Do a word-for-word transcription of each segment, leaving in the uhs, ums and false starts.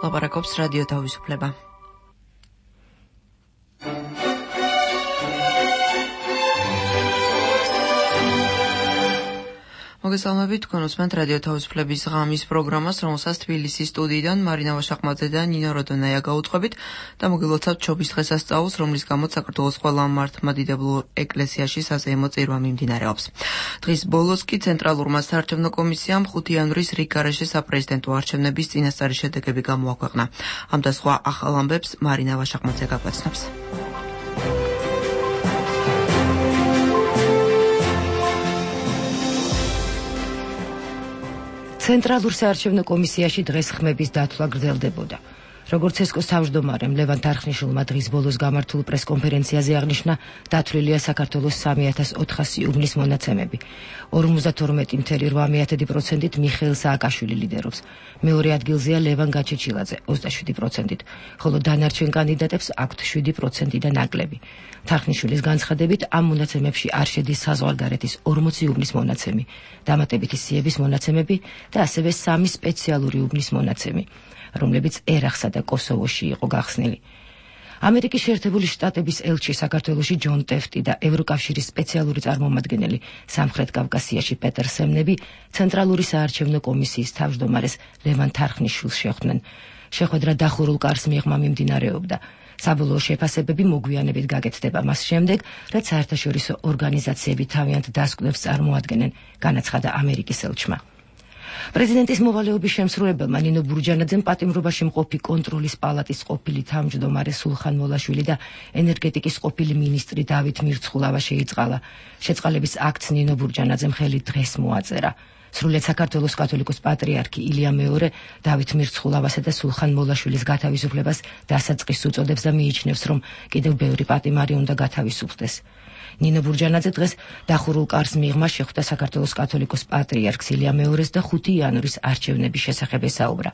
ლაპარაკობს რადიო თავისუფლება. მოგესალმებით, თქვენ უსმენთ რადიო თავისუფლების ღამის პროგრამას, რომელსაც თბილისის სტუდიიდან მარინა ვაშაყმაძე და ნინო როდონაია გაუწყობით და მოგილოცავთ ჩობის დღესასწაულს, რომლის გამოც საქართველოს ყველა მართლმადიდებლურ ეკლესიაში საზეიმო წირვა მიმდინარეობს. დღის ბოლოს კი ცენტრალურმა საარჩევნო კომისიამ ხუთი იანვრის რიგ გარეშე საპრეზიდენტო არჩევნების წინასწარი შედეგები გამოაქვეყნა. ამ და სხვა ახალ ამბებს მარინა ვაშაყმაძე გაგვაცნობს. ცენტრალურ საარჩევნო კომისიაში დღეს ხმების დათვლა გრძელდებოდა. როგორც ესკოს თავმჯდომარემ ლევან თარხნიშვილმა დღის ბოლოს გამართულ პრესკონფერენციაზე აღნიშნა, დათვლილია საქართველოს სამი ათას ოთხასი უბნის მონაცემები. ორმოცდათორმეტი целых შვიდ დесятых პროცენტით მიხეილ სააკაშვილი ლიდერობს. მეორე ადგილზეა ლევან გაჩეჩილაძე ოცდაშვიდი პროცენტით, ხოლო დანარჩენ კანდიდატებს აქვთ შვიდი პროცენტი და ნაკლები. თარხნიშვილის განცხადებით, ამ მონაცემებში არ შედის საზღვარგარეთის ორმოცი უბნის მონაცემი, დამატებითი სიების მონაცემები და ასევე სამი სპეციალური უბნის მონაცემი, რომლებიც ერახსა და კოსოვოში იყო გახსნილი. ამერიკის შეერთებული შტატების ელჩი საქართველოში ჯონ ტეფტი და ევროკავშირის სპეციალური წარმომადგენელი სამხრეთ კავკასიაში პეტერ სემნები ცენტრალური საარჩევნო კომისიის თავმჯდომარეს ლევან თარხნიშვილს შეხვდნენ. შეხვედრა დახურულ კარს მიღმა მიმდინარეობდა. საბოლოო შეფასებები მოგვიანებით გაკეთდება მას შემდეგ, რაც საერთაშორისო ორგანიზაციები თავიანთ დასკვნებს წარმოადგენენ, განაცხადა ამერიკის ელჩმა. პრეზიდენტის მოვალეობის შემსრულებელმა ნინო ბურჯანაძემ პატიმრობაში მყოფი კონტროლის პალატის ყოფილი თავმჯდომარე სულხან მოლაშვილი და ენერგეტიკის ყოფილი მინისტრი დავით მირცხულავა შეიწყალა. შეწყალების აქტს ნინო ბურჯანაძემ ხელი დღეს მოაწერა. სრულიად საქართველოს კათოლიკოს პატრიარქი ილია მეორე დავით მირცხულავასა და სულხან მოლაშვილის გათავისუფლებას დასაწყისს უწოდებს და მიიჩნევს, რომ კიდევ ბევრი პატიმარი უნდა გათავისუფლდეს. ნინო ბურჯანაძე დღეს დახურულ კარს მიღმა შეხვდა საქართველოს კათოლიკოს პატრიარქს ილია მეორეს და ხუთი იანვრის არჩევნების შესახებ ესაუბრა.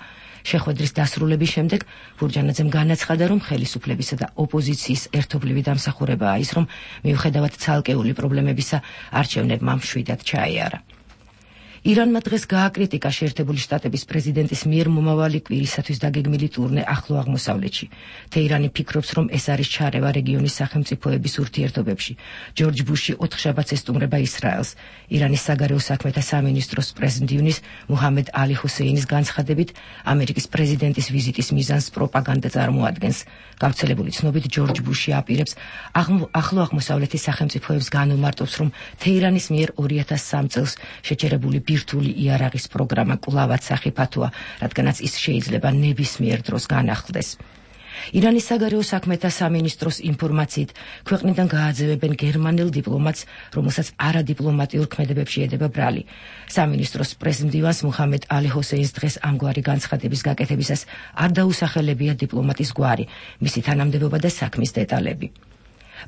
შეხვედრის დასრულების შემდეგ ბურჯანაძემ განაცხადა, რომ ხელისუფლებისა და ოპოზიციის ერთობლივი დამსახურებაა ის, რომ მიუხედავად ცალკეული პრობლემებისა არჩევნებმა მშვიდად ჩაეარა. ირანმა დღეს გააკრიტიკა შეერთებული შტატების პრეზიდენტის მიერ მომავალი კვირისათვის დაგეგმილი ტურნე ახლო აღმოსავლეთში. თეირანი ფიქრობს, რომ ეს არის ჩარევა რეგიონის სახელმწიფოების ურთიერთობებში. ჯორჯ ბუში ოთხშაბათს ესტუმრება ისრაელს. ირანის საგარეო საქმეთა სამინისტროს პრეზიდენტის მუჰამედ ალი ჰუსეინის განცხადებით, ამერიკის პრეზიდენტის ვიზიტის მიზანს პროპაგანდა წარმოადგენს. გავრცელებული ცნობით, ჯორჯ ბუში აპირებს ახლო აღმოსავლეთის სახელმწიფოებს განუმარტავს, რომ თეირანის მიერ ორი ათას სამი წელს შეჩერებული ბირთვული იარაღის პროგრამა კვლავაც სახიფათოა, რადგანაც ის შეიძლება ნებისმიერ დროს განახლდეს. ირანის საგარეო საქმეთა სამინისტროს ინფორმაციით, ქვეყნიდან გააძევებენ გერმანელ დიპლომატს, რომელსაც არადიპლომატიურ ქმედებებში ედება ბრალი. სამინისტროს პრეზიდენტს მუჰამედ ალი ჰუსეინს დღეს ამგვარი განცხადების გაკეთებისას არ დაუსახელებია დიპლომატის გვარი, მისი თანამდებობა და საქმის დეტალები.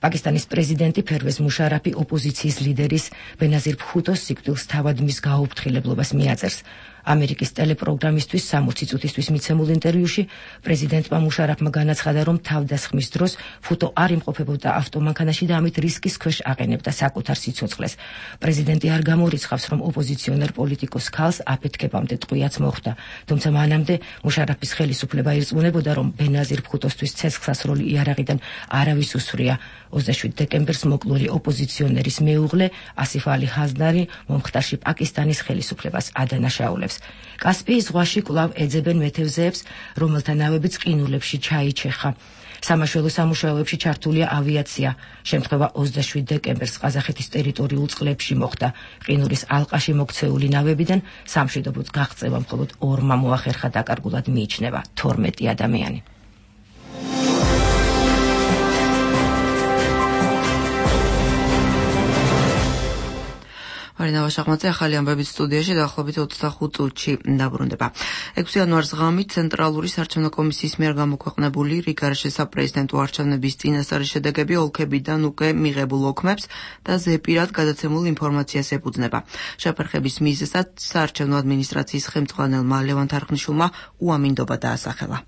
პაკისტანის პრეზიდენტი ფერვეზ მუშარაფი ოპოზიციის ლიდერის ბენაზირ ბჰუტოს სიკვდილს თავად მის გაუფრთხილებლობას მიაწერს. ამერიკის ტელეპროგრამისთვის სამოცი წუთისთვის მიცემულ ინტერვიუში პრეზიდენტმა მუშარაფმა განაცხადა, რომ თავდასხმის დროს ბჰუტო არ იმყოფებოდა ავტომანქანაში და ამით რისკის ქვეშ აყენებდა საკუთარ სიცოცხლეს. პრეზიდენტი არ გამორიცხავს, რომ ოპოზიციონერ პოლიტიკოს ქალს აფეთქებამდე ტყვიაც მოხვდა, თუმცა მანამდე მუშარაფის ხელისუფლება ირწმუნებოდა, რომ ბენაზირ ბჰუტოსთვის ცეცხლსასროლი იარაღიდან არავის უსვრია. ოცდაშვიდი დეკემბერს მოკლული ოპოზიციონერის მეუღლე ასიფ ალი ჰაზდარი მომხდარში პაკისტანის ხელისუფლებას ადანაშაულებს. კასპიის ზღვაში კვლავ ეძებენ მეთევზეებს, რომელთა ნავებიც ყინულებში ჩაიჩეხა. სამაშველო სამუშაოებში ჩართულია ავიაცია. შემთხვევა ოცდაშვიდი დეკემბერს ყაზახეთის ტერიტორიულ წყლებში მოხდა. ყინულის ალყაში მოქცეული ნავებიდან სამშვიდობოდ გაღწევა მხოლოდ ორმა მოახერხა დაკარგულად მიიჩნევა თორმეტი ადამიანი. მარინა ვაშაყმაძე ახალი ამბებით სტუდიაში დაახლოებით ოცდახუთ წუთში დაბრუნდება. ექვსი იანვარს ღამით ცენტრალური საარჩევნო კომისიის მიერ გამოქვეყნებული რიგ გარეშე საპრეზიდენტო არჩევნების წინასწარი შედეგები ოლქებიდან უკვე მიღებულ ოქმებს და ზეპირად გადაცემულ ინფორმაციას ეფუძნება. შეფერხების მიზეზად საარჩევნო ადმინისტრაციის ხელმძღვანელმა ლევან თარხნიშვილმა უამინდობა დაასახელა.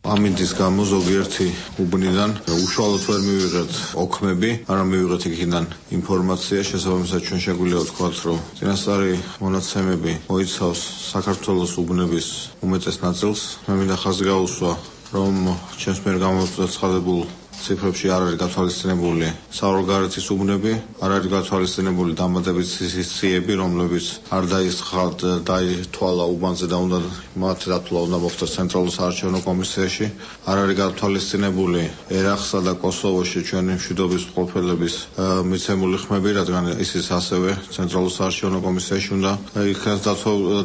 ამინდის გამო ზოგიერთი უბნიდან უშუალოდ ვერ მივიღეთ ოქმები, არამედ მივიღეთ იქიდან ინფორმაცია, შესაბამისად ჩვენ შეგვიძლია ვთქვათ, რომ წინასწარი მონაცემები მოიცავს საქართველოს უბნების უმეტეს ნაწილს. მე მინდა ხაზი გაუსვა, რომ ჩვენს მიერ გამოცხადებულ ციფრებში არ არის გათვალისწინებული საორგარეთის უბნები, არ არის გათვალისწინებული დამატებითი სიები, რომლებიც არ დაისხათ დაითვალა უბანზე და უნდა მათ დათვლა უნდა მოხდეს ცენტრალურ საარჩევნო კომისიაში, არ არის გათვალისწინებული ერაყსა და კოსოვოში ჩვენი მშვიდობის მყოფელების მიცემული ხმები, რადგან ისიც ასევე ცენტრალურ საარჩევნო კომისიაში უნდა იქნას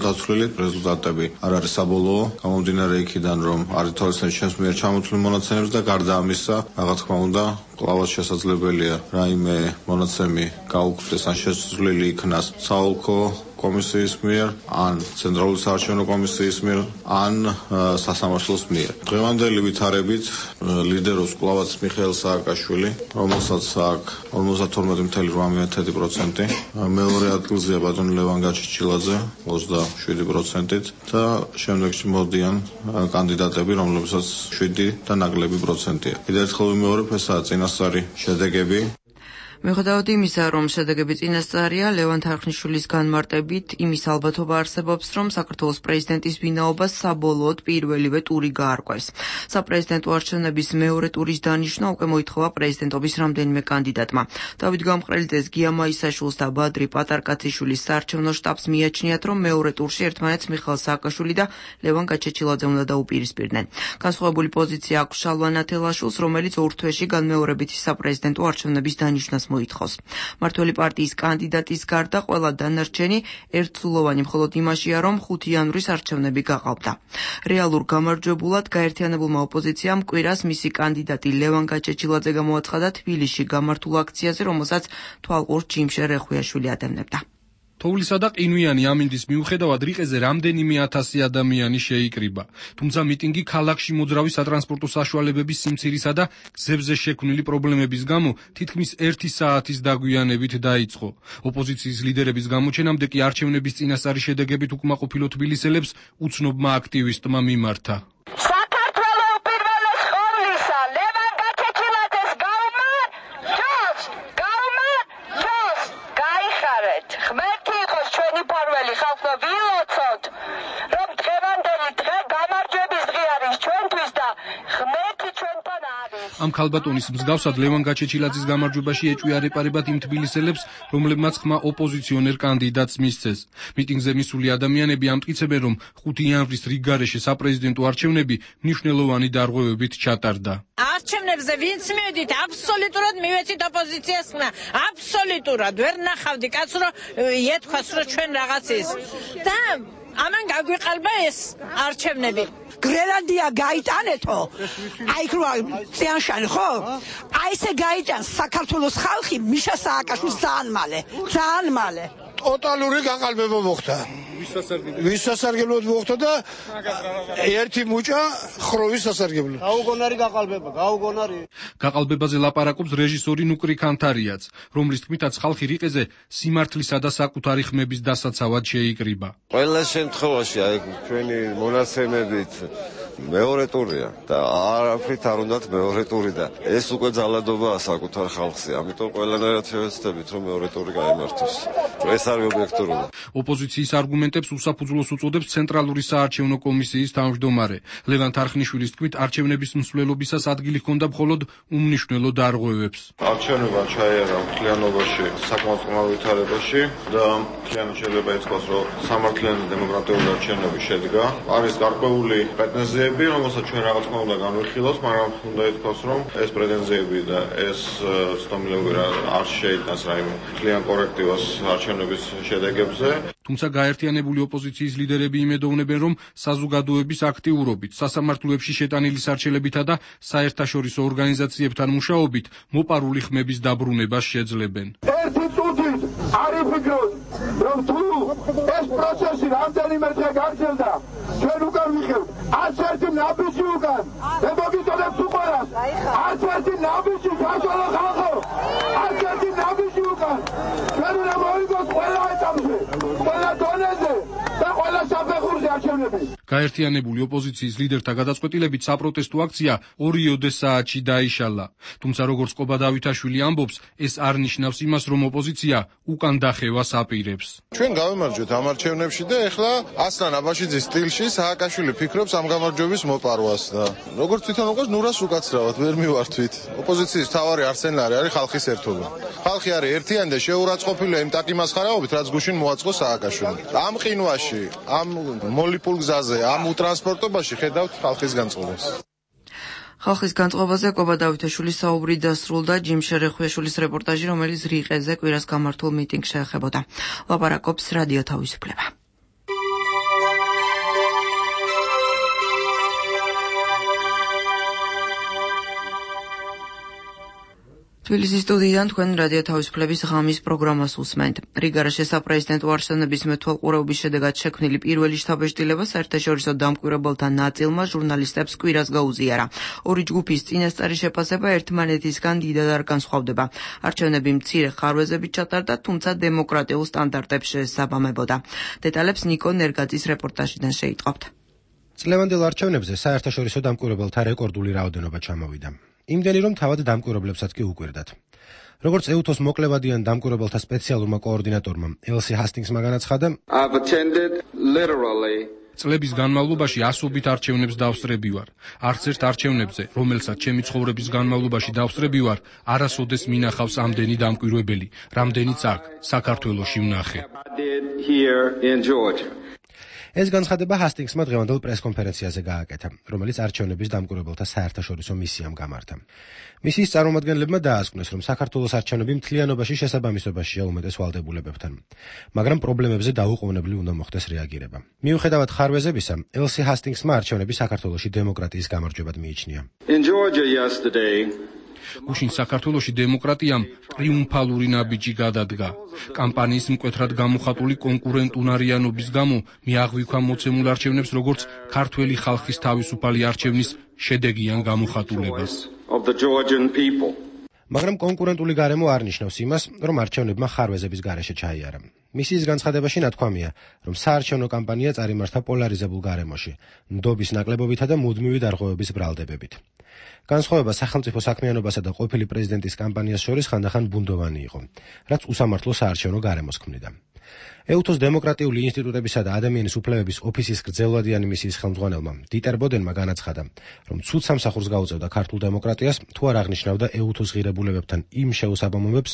დათვლილი. რეზულტატები არ არის საბოლოო, გამომდინარე იქიდან, რომ არ ითვალისწინებს ჩვენს მიერ ჩამოთვლილ მონაცემებს და გარდა ამისა, რა თქმა უნდა, კლავაც შესაძლებელია რაიმე მონაცემი გაუქმდეს ან შესრულებული იქნას საოლქო კომისიის მიერ, ან ცენტრალური საარჩევნო კომისიის მიერ, ან სასამართლოს მიერ. დღევანდელი ვითარებით ლიდერობს კლავაც მიხეილ სააკაშვილი, რომელსაც აქვს ორმოცდათორმეტი წუთი ოთხ პროცენტი, მეორე ადგილზეა ბატონი ლევან გაჩეჩილაძე ოცდაშვიდი პროცენტით და შემდეგში მოდიან კანდიდატები, რომლებსაც შვიდი და ნაკლები პროცენტია. კიდევ ერთხელ ვიმეორებ, ესაა წინასწარი შედეგები. მიუხედავად იმისა, რომ შედეგები წინასწარია, ლევან თარხნიშვილის განმარტებით იმის ალბათობა არსებობს, რომ საქართველოს პრეზიდენტის ვინაობას საბოლოოდ პირველივე ტური გაარკვევს. საპრეზიდენტო არჩევნების მეორე ტურის დანიშვნა უკვე მოითხოვა პრეზიდენტობის რამდენიმე კანდიდატმა. დავით გამყრელიძეს, გია მაისაშვილს და ბადრი პატარკაციშვილის საარჩევნო შტაბს მიაჩნიათ, რომ მეორე ტურში ერთმანეთს მიხეილ სააკაშვილი და ლევან გაჩეჩილაძე უნდა დაუპირისპირდნენ. განსხვავებული პოზიცია აქვს შალვა ნათელაშვილს, რომელიც ორ თვეში განმეორებითი საპრეზიდენტო არჩევნების დანიშვნას მოითხოვს. მართველი პარტიის კანდიდატის გარდა ყველა დანარჩენი ერთსულოვანი მხოლოდ იმაშია, რომ ხუთი იანვრის არჩევნები გაყავდა. რეალურ გამარჯვებულად გაერთიანებულმა ოპოზიციამ კვირას მისი კანდიდატი ლევან გაჩეჩილაძე გამოაცხადა თბილისში გამართულ აქციაზე, რომელსაც თვალყურს ჯიმშე რეხვიაშვილი ადევნებდა. თოვლისა და ყინვიანი ამინდის მიუხედავად რიყეზე რამდენიმე ათასი ადამიანი შეიკრიბა. თუმცა მიტინგი ქალაქში მოძრავი სატრანსპორტო საშუალებების სიმცირისა და გზებზე შექმნილი პრობლემების გამო თითქმის ერთი საათის დაგვიანებით დაიწყო. ოპოზიციის ლიდერების გამოჩენამდე კი არჩევნების წინასწარი შედეგებით უკმაყოფილო თბილისელებს უცნობმა აქტივისტმა მიმართა. ამ ქალბატონის მსგავსად ლევან გაჩეჩილაძის გამარჯვებაში ეჭვი არეპარებად იმ თბილისელებს, რომლებმაც ხმა ოპოზიციონერ კანდიდატს მისცეს. მიტინგზე მისული ადამიანები ამტკიცებენ, რომ ხუთი იანვრის რიგგარეშე საპრეზიდენტო არჩევნები მნიშვნელოვანი დარღვევებით ჩატარდა. არჩევნებზე ვინც მივედით, აბსოლუტურად მივეცით ოპოზიციას ხმა, აბსოლუტურად ვერ ნახავდი კაცს, რომ ეთქვას, რომ ჩვენ რაღაც ის. და ამან გაგვიყალბა ეს არჩევნები. გრენლანდია გაიტანეთო, აი ხო წიანშანი ხო? აი ესე გაიტანს საქართველოს ხალხი მიშა სააკაშვილს ძალიან მალე, ძალიან მალე. ტოტალური გაყალბება მოხდა. ვის სასარგებლოდ მოხდა და ერთი მუჭა ხროვის სასარგებლოდ. გაუგონარი გაყალბება, გაუგონარი. გაყალბებაზე ლაპარაკობს რეჟისორი ნუკრი ქანთარიაც, რომლის თქმითაც ხალხი რიყეზე სიმართლისა და საკუთარი ხმების დასაცავად შეიკრიბა. ყველა შემთხვევაში აი ჩვენი მონაცემებით მეორე ტურია და არაფრით არ უნდათ მეორე ტური და ეს უკვე ძალადობაა საკუთარ ხალხზე, ამიტომ ყველანაირად შევეცდებით, რომ მეორე ტური გაიმართოს. ეს არის ობიექტურობა. ოპოზიციის არგუმენტებს უსაფუძვლოს უწოდებს ცენტრალური საარჩევნო კომისიის თავმჯდომარე. ლევან თარხნიშვილის თქმით, არჩევნების მსვლელობისას ადგილი ჰქონდა მხოლოდ უმნიშვნელო დარღვევებს. არჩევნებმა ჩაიარა მთლიანობაში საკმაოდ წყნარ ვითარებაში და მთლიანად შეიძლება ითქვას, რომ სამართლიანი დემოკრატიული არჩევნები შედგა. არის გარკვეული პრეტენზიები, რომელსაც ჩვენ რა თქმა უნდა განვიხილავთ, მაგრამ უნდა ითქვას, რომ ეს პრეტენზიები და ეს ცნობილები არ შეიტანს რაიმე მთლიან კორექტივას არჩევნების შედეგებზე. თუმცა გაერთიანებული ოპოზიციის ლიდერები იმედოვნებენ, რომ საზოგადოების აქტიურობით, სასამართლოებში შეტანილი სარჩელებითა და საერთაშორისო ორგანიზაციებთან მუშაობით მოპარული ხმების დაბრუნებას შეძლებენ. ერთი წუთით არ იფიქროთ, რომ თუ ეს პროცესი რამდენიმე დღე გაგრძელდა, ჩვენ უკან ვიხევთ, არც ერთი ნაბიჯი უკან, მე მოგიწოდებ თუ ყველას, არც ერთი ნაბიჯი საშუალო ხალხო, არც ერთი ნაბიჯი უკან, ჩვენ უნდა მოვიგოთ ყველა ეტაპზე, ყველა დონეზე და ყველა საფეხურზე არჩევნები. გაერთიანებული ოპოზიციის ლიდერთა გადაწყვეტილებით საპროტესტო აქცია ორიოდე საათში დაიშალა. თუმცა როგორც ყობა დავითაშვილი ამბობს, ეს არ ნიშნავს იმას, რომ ოპოზიცია უკან დახევას აპირებს. ჩვენ გავემარჯვეთ ამ არჩევნებში და ეხლა ასლან აბაშიძის სტილში სააკაშვილი ფიქრობს ამ გამარჯვების მოპარვას და როგორც თვითონ უყოს ნურას უკაცრავად ვერ მივართვით. ოპოზიციის მთავარი არსენალი არის ხალხის ერთობა. ხალხი არის ერთიანი და შეურაცხყოფილია იმ ტაკიმასხარაობით, რაც გუშინ მოაწყო სააკაშვილი. ამ ყინვაში, ამ მოლიპულ გზაზე, ამ უტრანსპორტობაში ხედავთ ხალხის განწყობას. ხალხის განწყობაზე ყობა დავითაშვილის საუბრი დასრულდა ჯიმ შერეხვიაშვილის რეპორტაჟი, რომელიც რიყეზე კვირას გამართულ მიტინგს შეეხებოდა. ლაპარაკობს რადიო თავისუფლება. თბილისის სტუდიიდან თქვენ რადიო თავისუფლების ღამის პროგრამას უსმენთ. რიგარაში საპრეზიდენტო არჩევნების მეთვალყურეობის შედეგად შექმნილი პირველი შთაბეჭდილება საერთაშორისო დამკვირვებელთა ნაწილმა ჟურნალისტებს კვირას გაუზიარა. ორი ჯგუფის წინასწარი შეფასება ერთმანეთისგან დიდად არ განსხვავდება. არჩევნები მცირე ხარვეზებით ჩატარდა, თუმცა დემოკრატიულ სტანდარტებს შეესაბამებოდა. დეტალებს ნიკო ნერგაძის რეპორტაჟიდან შეიტყობთ. წლევანდელ არჩევნებზე საერთაშორისო დამკვირვებელთა რეკორდული რაოდენობა ჩამოვიდა. იმდენი რომ თავად დამკვირვებლებსაც კი უკვირდათ. როგორც ეუთოს მოკლევადიან დამკვირვებელთა სპეციალურმა კოორდინატორმა ელსი ჰასტინგსმა განაცხადა, წლების განმავლობაში ასობით არჩევნებს დავსწრები ვარ. არც ერთ არჩევნებზე, რომელსაც ჩემი ცხოვრების განმავლობაში დავსწრები ვარ, არასოდეს მინახავს ამდენი დამკვირვებელი, რამდენიც აქ, საქართველოში ვნახე. ეს განცხადება ჰასტინგსმა დღევანდელ პრესკონფერენციაზე გააკეთა, რომელიც არჩევნების დამკვირვებელთა საერთაშორისო მისიამ გამართა. მისიის წარმომადგენლებმა დაასკვნეს, რომ საქართველოს არჩევნები მთლიანობაში შესაბამისობაშია უმეტეს ვალდებულებებთან, მაგრამ პრობლემებზე დაუყოვნებლივ უნდა მოხდეს რეაგირება. მიუხედავად ხარვეზებისა, ელსი ჰასტინგსმა არჩევნები საქართველოში დემოკრატიის გამარჯვებად მიიჩნია. გუშინ საქართველოში დემოკრატიამ ტრიუმფალური ნაბიჯი გადადგა. კამპანიის მკვეთრად გამოხატული კონკურენტუნარიანობის გამო მე აღვიქვა მოცემულ არჩევნებს როგორც ქართველი ხალხის თავისუფალი არჩევნის შედეგიან გამოხატულებას. მაგრამ კონკურენტული გარემო არ ნიშნავს იმას, რომ არჩევნებმა ხარვეზების გარეშე ჩაიარა. მისიის განცხადებაში ნათქვამია, რომ საარჩევნო კამპანია წარიმართა პოლარიზებულ გარემოში, ნდობის ნაკლებობითა და მუდმივი დარღვევების ბრალდებებით. განსხვავება სახელმწიფო საქმიანობასა და ყოფილი პრეზიდენტის კამპანიას შორის ხანდახან ბუნდოვანი იყო, რაც უსამართლო საარჩევნო გარემოს ქმნიდა. ეუთოს დემოკრატიული ინსტიტუტებისა და ადამიანის უფლებების ოფისის გრძელვადიანი მისიის ხელმძღვანელმა დიტერ ბოდენმა განაცხადა, რომ ცუდ სამსახურს გაუწევდა ქართულ დემოკრატიას, თუ არ აღნიშნავდა ეუთოს ღირებულებებთან იმ შეუსაბამობებს,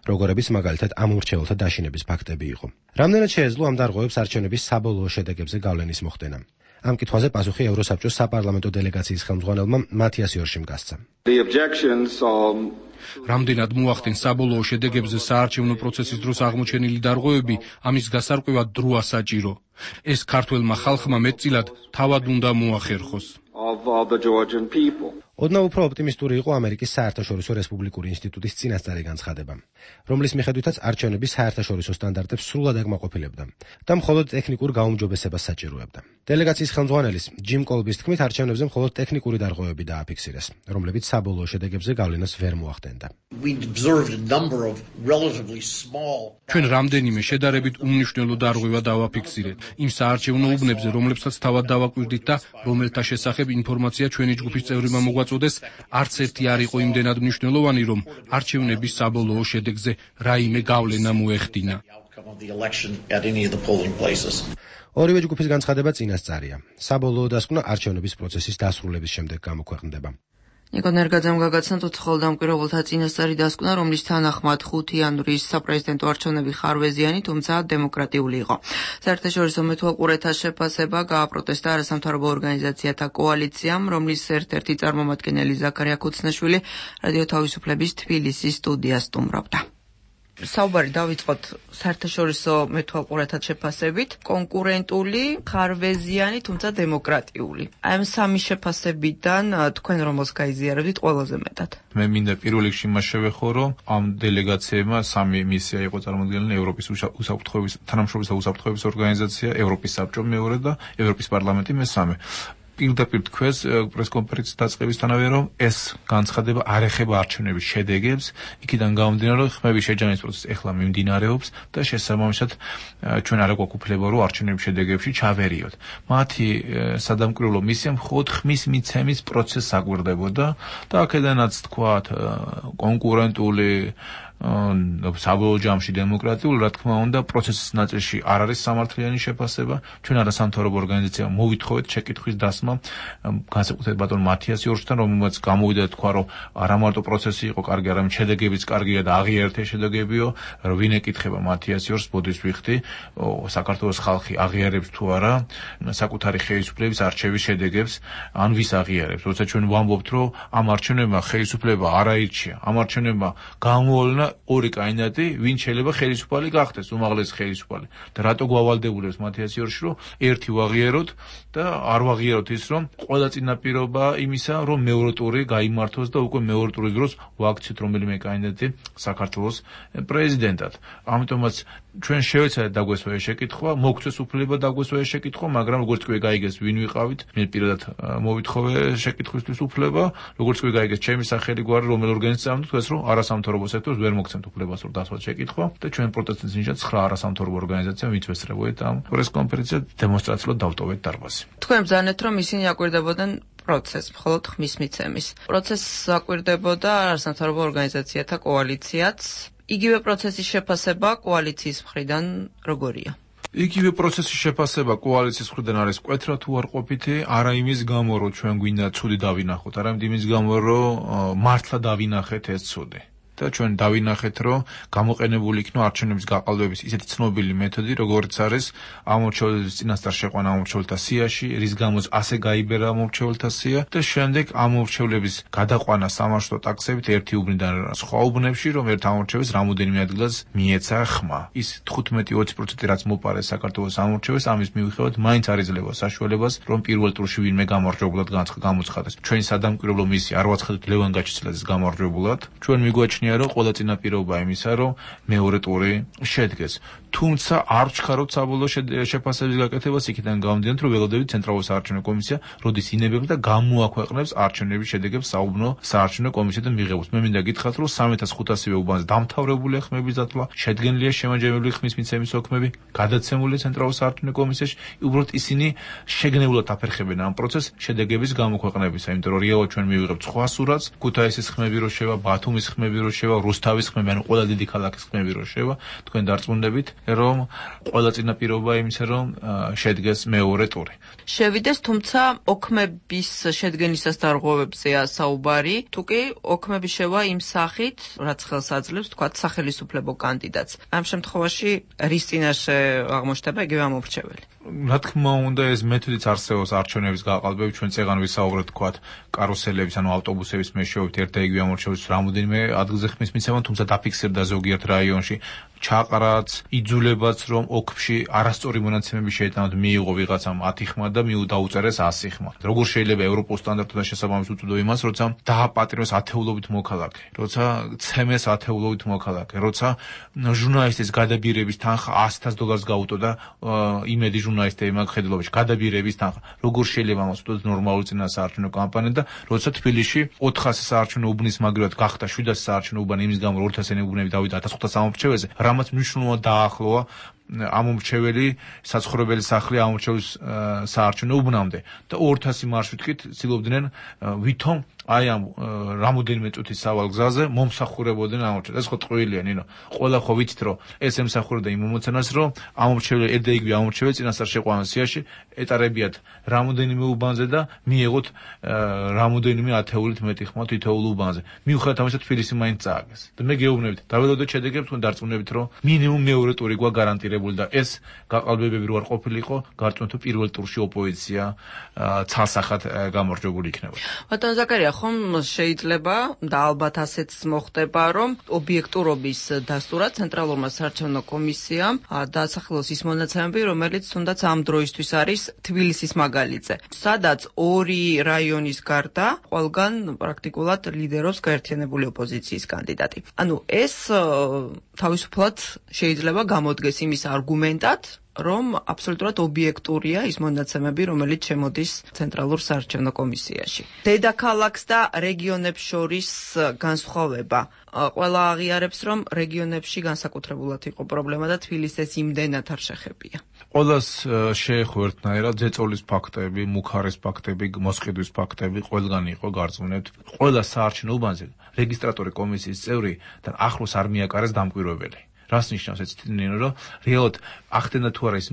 როგორებიც მაგალითად ამ ურჩეველთა დაშინების ფაქტები იყო. რამდენად შეეძლო ამ დარღვევებს არჩევნების საბოლოო შედეგებზე გავლენის მოხდენა? ამ კითხვაზე პასუხი ევროსაბჭოს საპარლამენტო დელეგაციის ხელმძღვანელმა მათიას იორშიმ გასცა. რამდენად მოახდენს საბოლოო შედეგებზე საარჩევნო პროცესის დროს აღმოჩენილი დარღვევები, ამის გასარკვევად დრო ასაჭირო. ეს ქართველმა ხალხმა მეტწილად თავად უნდა მოახერხოს. ოდნავ უფრო ოპტიმისტური იყო ამერიკის საერთაშორისო რესპუბლიკური ინსტიტუტის წინასწარი განცხადება, რომლის მიხედვითაც არჩევნები საერთაშორისო სტანდარტებს სრულად აკმაყოფილებდა და მხოლოდ ტექნიკურ გაუმჯობესებას საჭიროებდა. დელეგაციის ხელმძღვანელის ჯიმ კოლბის თქმით, არჩევნებზე მხოლოდ ტექნიკური დარღვევები დააფიქსირეს, რომლებიც საბოლოო შედეგებზე გავლენას ვერ მოახდენდა. ჩვენ რამდენიმე შედარებით უმნიშვნელო დარღვევა დავაფიქსირეთ იმ საარჩევნო უბნებზე, რომლებსაც თავად დავაკვირდით და რომელთა შესახებ ინფორმაცია ჩვენი ჯგუფის წევრებმა მოგვაწოდეს, არც ერთი არ იყო იმდენად მნიშვნელოვანი, რომ არჩევნების საბოლოო შედეგზე რაიმე გავლენა მოეხდინა. ორივე ჯგუფის განცხადება წინასწარია. საბოლოო დასკვნა არჩევნების პროცესის დასრულების შემდეგ გამოქვეყნდება. ნიკო ნერგაძემ გაგაცნოთ უცხოელ დამკვირვებელთა წინასწარი დასკვნა, რომლის თანახმად ხუთი იანვრის საპრეზიდენტო არჩევნები ხარვეზიანი, თუმცა დემოკრატიული იყო. საერთაშორისო მეთვალყურეთა შეფასება გააპროტესტა არასამთავრობო ორგანიზაციათა კოალიციამ, რომლის ერთ-ერთი წარმომადგენელი ზაქარია ქუცნაშვილი რადიო თავისუფლების თბილისის სტუდიას სტუმრობდა. საუბარი დავიწყოთ საერთაშორისო მეთვალყურეთა შეფასებით, კონკურენტული, ხარვეზიანი, თუმცა დემოკრატიული. აი ამ სამი შეფასებიდან თქვენ რომელს გაიზიარებთ ყველაზე მეტად? მე მინდა პირველ რიგში მას შევეხო, რომ ამ დელეგაციებმა სამი მისია იყო წარმოადგენელი: ევროპის უსაფრთხოების თანამშრომლობის და უსაფრთხოების ორგანიზაცია, ევროპის საბჭო მეორე და ევროპის პარლამენტი მესამე. პირდაპირ თქვეს პრესკონფერენციის დაწყებისთანავე, რომ ეს განცხადება არ ეხება არჩევნების შედეგებს, იქიდან გამომდინარე, რომ ხმების შეჯამების პროცესი ეხლა მიმდინარეობს და შესაბამისად ჩვენ არ გვაქვს უფლება, რომ არჩევნების შედეგებში ჩავერიოთ. მათი სადამკვირვებლო მისია მხოლოდ ხმის მიცემის პროცესს აგვირდებოდა და აქედანაც თქვათ კონკურენტული საბოლოო ჯამში დემოკრატიული, რა თქმა უნდა, პროცესის ნაწილში არ არის სამართლიანი შეფასება. ჩვენ არასამთავრობო ორგანიზაციამ მოვითხოვეთ შეკითხვის დასმა განსაკუთრებით ბატონ მათიას იორშთან, რომელმაც გამოვიდა თქვა, რომ არა მარტო პროცესი იყო კარგი, არამედ შედეგებიც კარგია და აღიარეთ ეს შედეგებიო, რომ ვინ ეკითხება მათიას იორშს, ბოდის ვიხდი, საქართველოს ხალხი აღიარებს თუ არა საკუთარი ხელისუფლების არჩევის შედეგებს, ან ვის აღიარებს. როცა ჩვენ ვამბობთ, რომ ამ არჩევნებმა ხელისუფლება არ აირჩია, ამ არჩევნებმა გამოავლინა ორი კანდიდატი, ვინ შეიძლება ხელისუფალი გახდეს, უმაღლესი ხელისუფალი. და რატო გვავალდებულებს მათიას იორში, რომ ერთი ვაღიაროთ და არ ვაღიაროთ ის, რომ ყველა წინაპირობა იმისა, რომ მეორე ტური გაიმართოს და უკვე მეორე ტურის დროს ვაქციოთ რომელიმე კანდიდატი საქართველოს პრეზიდენტად. ამიტომაც ჩვენ შევეცადეთ დაგვესვა ეს შეკითხვა, მოგცეს უფლება დაგვესვა ეს შეკითხვა, მაგრამ როგორც კი გაიგეს ვინ ვიყავით, მე პირადად მოვითხოვე შეკითხვისთვის უფლება, როგორც კი გაიგეს ჩემი სახელი გვარი რომელ ორგანიზაციამ თქვეს, რომ არასამთავრობო სექტორს ვერ მოგცემთ უფლებას, რომ დასვათ შეკითხვა და ჩვენ პროტესტის ნიშნად ცხრა არასამთავრობო ორგანიზაციამ ვიწესრებოდით ამ პრესკონფერენციას დემონსტრაციულად დავტოვეთ დარბაზი. თქვენ ბრძანეთ, რომ ისინი აკვირდებოდნენ პროცესს, მხოლოდ ხმის მიცემის. პროცესს აკვირდებოდა არასამთავრობო ორგანიზაციათა კოალიციაც. იგივე პროცესის შეფასება კოალიციის მხრიდან როგორია? იგივე პროცესის შეფასება კოალიციის მხრიდან არის მკვეთრად უარყოფითი, არა იმის გამო, რომ ჩვენ გვინდა ცუდი დავინახოთ, არამედ იმის გამო, რომ მართლა დავინახეთ ეს ცუდი. და ჩვენ დავინახეთ, რომ გამოყენებული იქნა არჩევნების გაყალბების ისეთი ცნობილი მეთოდი, როგორც არის ამორჩეულების წინასწარ შეყვანა ამორჩეულთა სიაში, რის გამოც ასე გაიბერა ამორჩეულთა სია და შემდეგ ამორჩეულების გადაყვანა სამარშრუტო ტაქსებით ერთი უბნიდან სხვა უბნებში, რომ ერთ ამორჩეულს რამოდენიმე ადგილას მიეცა ხმა. ის თხუთმეტი ოცი პროცენტი რაც მოპარეს საქართველოს ამორჩეულს, ამის მიუხედავად მაინც არ იძლევა საშუალებას, რომ პირველ ტურში ვინმე გამარჯვებულად გამოცხადდეს. ჩვენი სადამკვირვებლო მისია არ ვაცხადეთ ლევან გაჩიცლაძის გამარჯვებულად. ჩვენ მიგვაჩნია რომ ყველა წინაპირობა იმისა, რომ მეორე ტური შედგეს. თუმცა არ ვჩქარობთ საბოლოო შეფასების გაკეთებას იქიდან გამომდინარე, რომ ველოდებით ცენტრალური საარჩევნო კომისია როდის ინებებს და გამოაქვეყნებს არჩევნების შედეგებს საუბნო საარჩევნო კომისიიდან მიღებულს. მე მინდა გითხრათ, რომ სამი ათას ხუთასივე უბანზე დამთავრებულია ხმების დათვლა, შედგენილია შემაჯამებელი ხმის მიცემის ოქმები, გადაცემული ცენტრალურ საარჩევნო კომისიაში, უბრალოდ ისინი შეგნებულად აფერხებენ ამ პროცესს შედეგების გამოქვეყნებისა, იმიტომ რომ რეალურად ჩვენ მივიღებთ სხვა სურათს, ქუთაისის ხმები რო შევა, ბათუმის ხმები რო შევა, რუსთავის ხმები, ანუ ყველა დიდი ქალაქის ხმები რო შევა, თქვენ დარწმუნდებით, რომ ყველა წინაპირობა იმისა, რომ შედგეს მეორე ტური. შევიდეს, თუმცა ოქმების შედგენისას დარღვევებზეა საუბარი, თუ კი ოქმები შევა იმ სახით, რაც ხელს აძლევს, თქვათ, სახელისუფლებო კანდიდატს. ამ შემთხვევაში რის წინაშე აღმოჩნდება იგივე ამორჩეველი? რა თქმა უნდა, ეს მეთოდიც არსებობს არჩევნების გაყალბებით, ჩვენ წეგან ვისაუბრეთ, თქვათ, კარუსელების, ანუ ავტობუსების მეშვეობით ერთ და იგივე ამორჩევის რამოდენიმე ადგილზე ხმის მიცემა, თუმცა დაფიქსირდა ზოგიერთ რაიონში ჩაყრაც, იძულებაც, რომ ოქში არასწორი მონაცემები შეეტანოთ, მიიღო ვიღაცამ ათი ხმა და მიუდაუწერეს ასი ხმა. როგორ შეიძლება ევროპულ სტანდარტთან შესაბამისად უწოდო იმას, როცა დააპატიმრეს ათეულობით მოქალაქე, როცა ცემეს ათეულობით მოქალაქე, როცა ჟურნალისტის გადაბირების თანხა ასი დოლარს გაუტოდა იმედი ჟურნალისტები მაგ ხედელობაში, გადაბირების თანხა. როგორ შეიძლება ამას უთქვათ ნორმალური წინასაარჩევნო კამპანია და როცა თბილისში ოთხასი საარჩევნო უბნის მაგივრად გახდა შვიდასი საარჩევნო უბანი იმის გამო, რომ ორ ათასიანი უბნები დავიდა ათას ხუთას ამორჩეველზე, რამაც მნიშვნელოვნად დაახლოა ამორჩეველი საცხოვრებელი სახლი ამორჩევის საარჩევნო უბნამდე და ორ ათასი მარშრუტით ცდილობდნენ ვითომ აი ამ რამოდენიმე წუთის სავალ გზაზე მომსახურებოდნენ ამორჩეველს. ეს ხო ტყუილია, ნინო. ყველა ხო ვიცით, რომ ეს ემსახურებოდა იმ მომოცანას, რომ ამორჩეველი ერთ და იგივე ამორჩეველი წინასწარ შეყვანა სიაში ეტარებიათ რამოდენიმე უბანზე და მიეღოთ რამოდენიმე ათეულით მეტი ხმა თითოეულ უბანზე. მიუხედავად ამისა, თბილისი მაინც წააგეს. და მე გეუბნებით, დაველოდოთ შედეგებს, თქვენ დარწმუნებით, რომ მინიმუმ მეორე ტური გვა გარანტირებული და ეს გაყალბებები რო არ ყოფილიყო, გარწმუნეთ, რომ პირველ ტურში ოპოზიცია ცალსახად გამარჯვებული იქნება. ბატონ ზაკარია, ხომ შეიძლება და ალბათ ასეც მოხდება, რომ ობიექტურობის დასტურად ცენტრალურმა საარჩევნო კომისიამ დაასახელოს ის მონაცემები, რომელიც თუნდაც ამ დროისთვის არის თბილისის მაგალითზე, სადაც ორი რაიონის გარდა ყველგან პრაქტიკულად ლიდერობს გაერთიანებული ოპოზიციის კანდიდატი. ანუ ეს თავისუფლად შეიძლება გამოდგეს იმის არგუმენტად, რომ აბსოლუტურად ობიექტურია ის მონაცემები, რომელიც შემოდის ცენტრალურ საარჩევნო კომისიაში. დედაქალაქს და რეგიონებს შორის განსხვავება. ყველა აღიარებს, რომ რეგიონებში განსაკუთრებულად იყო პრობლემა და თბილისის იმდენად არ შეხებია. ყველას შეეხო ერთნაირად ზეწოლის ფაქტები, მუხარის ფაქტები, მოსყიდვის ფაქტები, ყველგან იყო გარწმუნებთ. ყველა საარჩევნო უბანზე რეგისტრატორი კომისიის წევრი და ახლოს არ მიაკარეს დამკვირვებელი. რას ნიშნავს ეს თინინო, რომ რეალურად ახდენდა თუ არა ის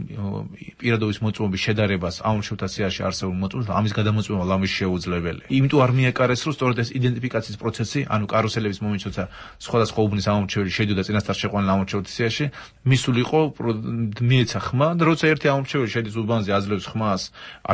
პირადობის მოწმობის შედარებას ამომრჩევლთა სიაში არსებულ მოწმობს და ამის გადამოწმება ლამის შეუძლებელია. იმიტომ არ მიაკარეს, რომ სწორედ ეს იდენტიფიკაციის პროცესი, ანუ კარუსელების მომენტში, როცა სხვადასხვა უბნის ამომრჩეველი შედიოდა წინასწარ შეყვანილ ამომრჩევლთა სიაში, მისულიყო მიეცა ხმა და როცა ერთი ამომრჩეველი შედის უბანზე აძლევს ხმას,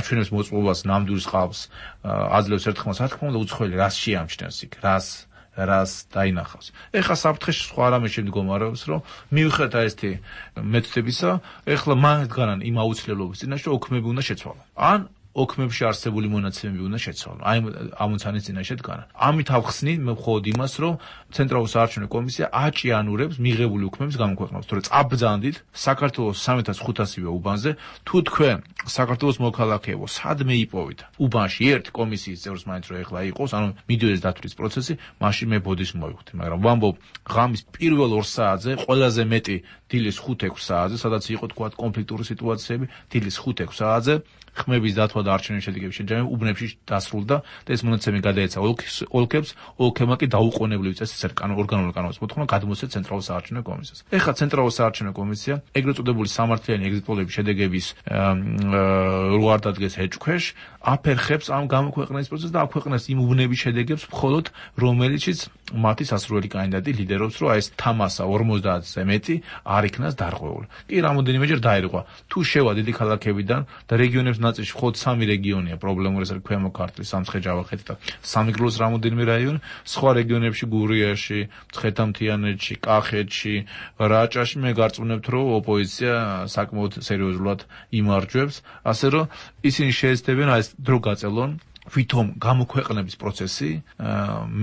აჩვენებს მოწმობას, ნამდვილს ყავს, აძლევს ერთ ხმას, რა თქმა უნდა უცხოელი რას შეამჩნევს იქ, რას რას დაინახავს. ეხლა საფრთხეში სხვა რამე შემდგომარეობს, რომ მიუხედავად ესეთი მეთოდებისა, ეხლა მანდგანან იმ აუცილებლობის წინაშე ოქმები უნდა შეცვალონ. ან ოქმებში არსებული მონაცემები უნდა შეცვალონ. აი ამოცანის წინაშე დგანან. ამით ავხსნი მე მხოლოდ იმას, რომ ცენტრალური საარჩევნო კომისია აჭიანურებს მიღებული ოქმების გამოქვეყნებას. თორე წაბრძანდით საქართველოს სამი ათას ხუთასივე უბანზე, თუ თქვენ საქართველოს მოქალაქეებო, სადმე იპოვით უბანში ერთ კომისიის წევრს მაინც რო ეხლა იყოს, ანუ მიდიოდეს დათვლის პროცესი, მაშინ მე ბოდის მოვიხდი, მაგრამ ვამბობ, ღამის პირველ ორ საათზე ყველაზე მეტი დილის ხუთ ექვს საათზე, სადაც იყო თქვა კონფლიქტური სიტუაციები, დილის ხუთ ექვს საათზე ხმების დათვა და არჩევნების შედეგების შეჯამება უბნებში დასრულდა და ეს მონაცემი გადაეცა ოლქებს, ოლქებმა კი დაუყოვნებლივ წესით ორგანული კანონის მოთხოვნა გადმოსცეს ცენტრალურ საარჩევნო კომისიას. ეხლა ცენტრალურ საარჩევნო კომისია ეგრეთ წოდებული სამართლიანი ეგზიტ პოლების შედეგების რო არ დადგეს ეჭქვეშ, აფერხებს ამ გამოქვეყნების პროცესს და აქვეყნებს იმ უბნების შედეგებს მხოლოდ რომელიციც მათი სასურველი კანდიდატი ლიდერობს, რომ ეს თამასა ორმოცდაათზე მეტი არ იქნას დარღვეული. კი რამოდენიმეჯერ დაერღვა. თუ შევა დიდი ქალაქებიდან და რეგიონებს ნაწილში მხოლოდ სამი რეგიონია პრობლემური, ეს არის ქვემო ქართლის, სამცხე-ჯავახეთი და სამეგრელოს რამოდენიმე რაიონი, სხვა რეგიონებში გურიაში, მცხეთა-მთიანეთში, კახეთში, რაჭაში მე გარწმუნებთ, რომ ოპოზიცია საკმაოდ სერიოზულად იმარჯვებს, ასე რომ ისინი შეეცდებიან ეს დრო გაწელონ ვითომ გამოქვეყნების პროცესი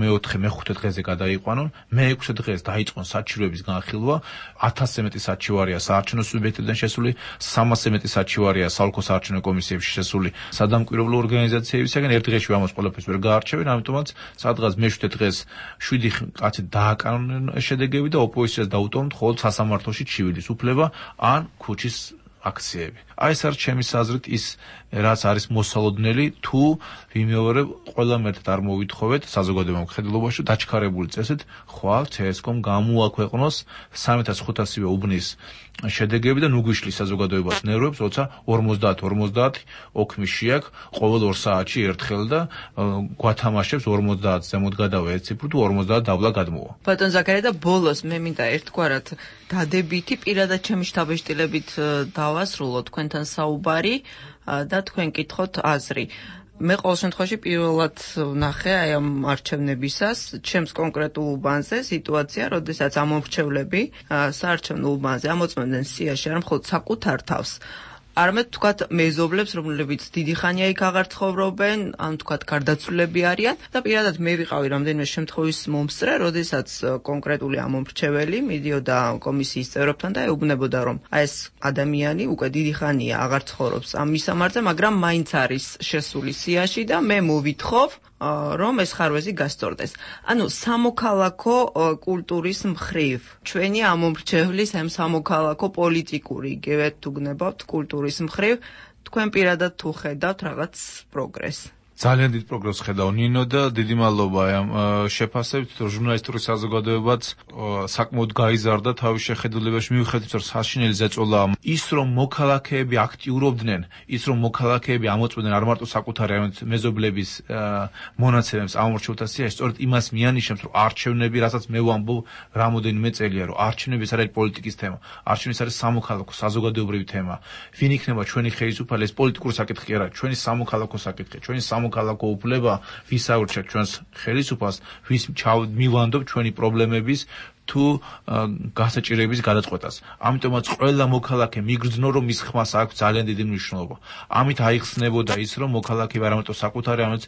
მეოთხე მეხუთე დღეზე გადაიყვანონ, მეექვსე დღეს დაიწყონ საჩივრების განხილვა, ათასზე მეტი საჩივარია საარჩევნო სუბიექტებიდან შესული, სამასზე მეტი საჩივარია საოლქო საარჩევნო კომისიებში შესული სადამკვირვებლო ორგანიზაციებისაგან, ერთ დღეში ამას ყველაფერს ვერ გაარჩევენ, ამიტომაც სადღაც მეშვიდე დღეს შვიდი კაცი დააკანონენ შედეგები და ოპოზიციას დაუტოვონ მხოლოდ სასამართლოში ჩივილის უფლება ან ქუჩის აქციები. აი ეს არის ჩემი აზრით ის რაც არის მოსალოდნელი, თუ ვიმეორებ ყველა მერტად არ მოვითხოვეთ საზოგადოებრივ მხედველობაში დაჩქარებული წესით ხვალ ცესკომ გამოაქვეყნოს სამი ათას ხუთასივე უბნის შედეგები და ნუ გვიშლის საზოგადოებას ნერვებს, როცა ორმოცდაათ ორმოცდაათ ოქმი შეაქვს ყოველ ორ საათში ერთხელ და გვათამაშებს ორმოცდაათ ზემოთ გადავა ერთ ციფრ თუ ორმოცდაათ დაბლა გადმოვა. ბატონ ზაქარია და ბოლოს მე მინდა ერთგვარად დადებითი პირადად ჩემი შთაბეჭდილებით დავასრულო თქვენთან საუბარი და თქვენ კითხოთ აზრი. მე ყოველ შემთხვევაში პირველად ვნახე აი ამ არჩევნებისას ჩემს კონკრეტულ უბანზე სიტუაცია, როდესაც ამომრჩევლები საარჩევნო უბანზე ამოწმებდნენ სიაში არ მხოლოდ საკუთარ თავს, არამედ თქვათ მეზობლებს, რომლებიც დიდი ხანია იქ აღარ ცხოვრობენ, ან თქვათ გარდაცვლილები არიან და პირადად მე ვიყავი რამდენიმე შემთხვევის მომსწრე, როდესაც კონკრეტული ამომრჩეველი მიდიოდა კომისიის წევრებთან და ეუბნებოდა, რომ აი ეს ადამიანი უკვე დიდი ხანია აღარ ცხოვრობს ამ მისამართზე, მაგრამ მაინც არის შესული სიაში და მე მოვითხოვ რომ ეს ხარვეზი გასწორდეს. ანუ სამოქალაქო კულტურის მხრივ ჩვენი ამომრჩევლის ამ სამოქალაქო პოლიტიკური იგივე თუ გნებავთ კულტურის მხრივ თქვენ პირადად თუ ხედავთ რაღაც პროგრესს. ძალიან დიდ პროგრესს ხედავ ნინო და დიდი მადლობა ამ შეფასებით, რომ ჟურნალისტური საზოგადოებაც საკმაოდ გაიზარდა თავის შეხედულებაში, მიუხედავად რომ საშინელი ზეწოლა ის რომ მოქალაქეები აქტიურობდნენ, ის რომ მოქალაქეები ამოწმდნენ არ მარტო საკუთარი მეზობლების მონაცემებს ამომრჩევლთა სიაში, სწორედ იმას მიანიშნებს, რომ არჩევნები, რასაც მე ვამბობ რამოდენიმე წელია, რომ არჩევნები არ არის პოლიტიკის თემა, არჩევნები არის სამოქალაქო საზოგადოებრივი თემა. ვინ იქნება ჩვენი ხელისუფალი, ეს პოლიტიკური საკითხი კი არა, ჩვენი სამოქალაქო საკითხი, ჩვენი სამოქალაქო უფლება, ვის აურჩევთ ჩვენს ხელისუფალს, ვის მივანდობ ჩვენი პრობლემების თუ გასაჭირების გადაწყვეტას. ამიტომაც ყველა მოქალაქე მიგრძნო რომ მის ხმას აქვს ძალიან დიდი მნიშვნელობა. ამით აიხსნებოდა ის რომ მოქალაქეები არა მარტო საკუთარი, არამედ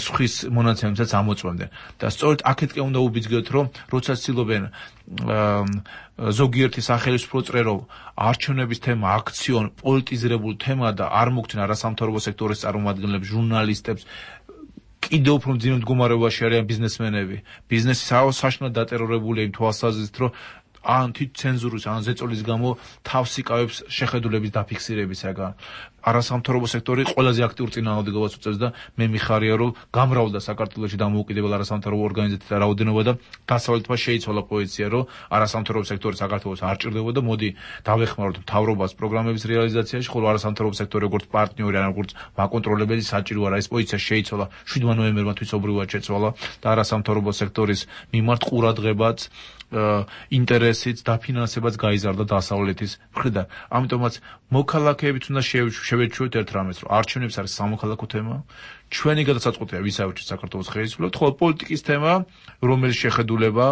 სხვის მონაცემებსაც ამოწმებდნენ. და სწორედ აქეთკენ უნდა უბიძგოთ რომ როცა ცდილობენ ზოგიერთი სახელმწიფო წრე რომ არჩევნების თემა აქციონ პოლიტიზირებულ თემა და არ მოგცენ არასამთავრობო სექტორის წარმომადგენლებს, ჟურნალისტებს, კიდევ უფრო მძიმე მდგომარეობაში არიან ბიზნესმენები. ბიზნესი საშინლად დატერორებულია იმ თვალსაზრისით, რომ ან თვით ცენზურის, ან ზეწოლის გამო თავს იკავებს შეხედულების დაფიქსირებისაგან. არასამთავრობო სექტორი ყველაზე აქტიურ წინააღმდეგობას უწევს და მე მიხარია რომ გამრავლდა საქართველოში დამოუკიდებელ არასამთავრობო ორგანიზაციათა რაოდენობა და დასავლეთმა შეიცვალა პოზიცია რომ არასამთავრობო სექტორი საქართველოს არ ჭირდებოდა. მოდი დავეხმაროთ მთავრობას პროგრამების რეალიზაციაში, ხოლო არასამთავრობო სექტორი როგორც პარტნიორი ან როგორც მაკონტროლებელი საჭირო არა. ეს პოზიცია შეიცვალა შვიდმა ნოემბერმა თვითობრივად შეცვალა და არასამთავრობო სექტორის მიმართ ყურადღებაც ინტერესიც დაფინანსებაც გაიზარდა დასავლეთის მხრიდან. ამიტომაც მოქალაქეებიც უნდა შევეჩვევით ერთ რამეს, რომ არჩევნებს არის სამოქალაქო თემა, ჩვენი გადაწყვეტია ვის აუჩით საქართველოს ხელისუფლებას, ხოლო პოლიტიკის თემა, რომელიც შეხედულება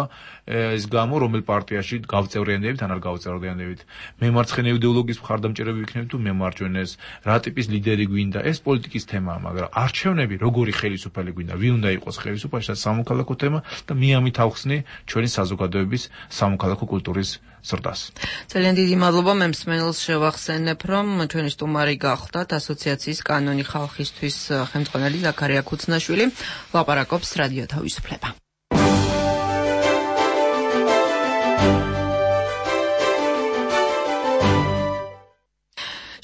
ეს გამო, რომელ პარტიაში გავწევრიანდებით ან არ გავწევრიანდებით. მემარცხენე იდეოლოგიის მხარდამჭერები ვიქნებით თუ მემარჯვენეს, რა ტიპის ლიდერი გვინდა, ეს პოლიტიკის თემაა, მაგრამ არჩევნები როგორი ხელისუფალი გვინდა, ვინ უნდა იყოს ხელისუფალში, ეს სამოქალაქო თემა და მე ამით ავხსნი ჩვენი საზოგადოების სამოქალაქო კულტურის ზრდას. ძალიან დიდი მადლობა. მე მსმენელს შევახსენებ, რომ ჩვენი სტუმარი გახლდათ ასოციაციის კანონი ხალხისთვის ხელმძღვანელი ზაქარია ქუცნაშვილი. ლაპარაკობს რადიო თავისუფლება.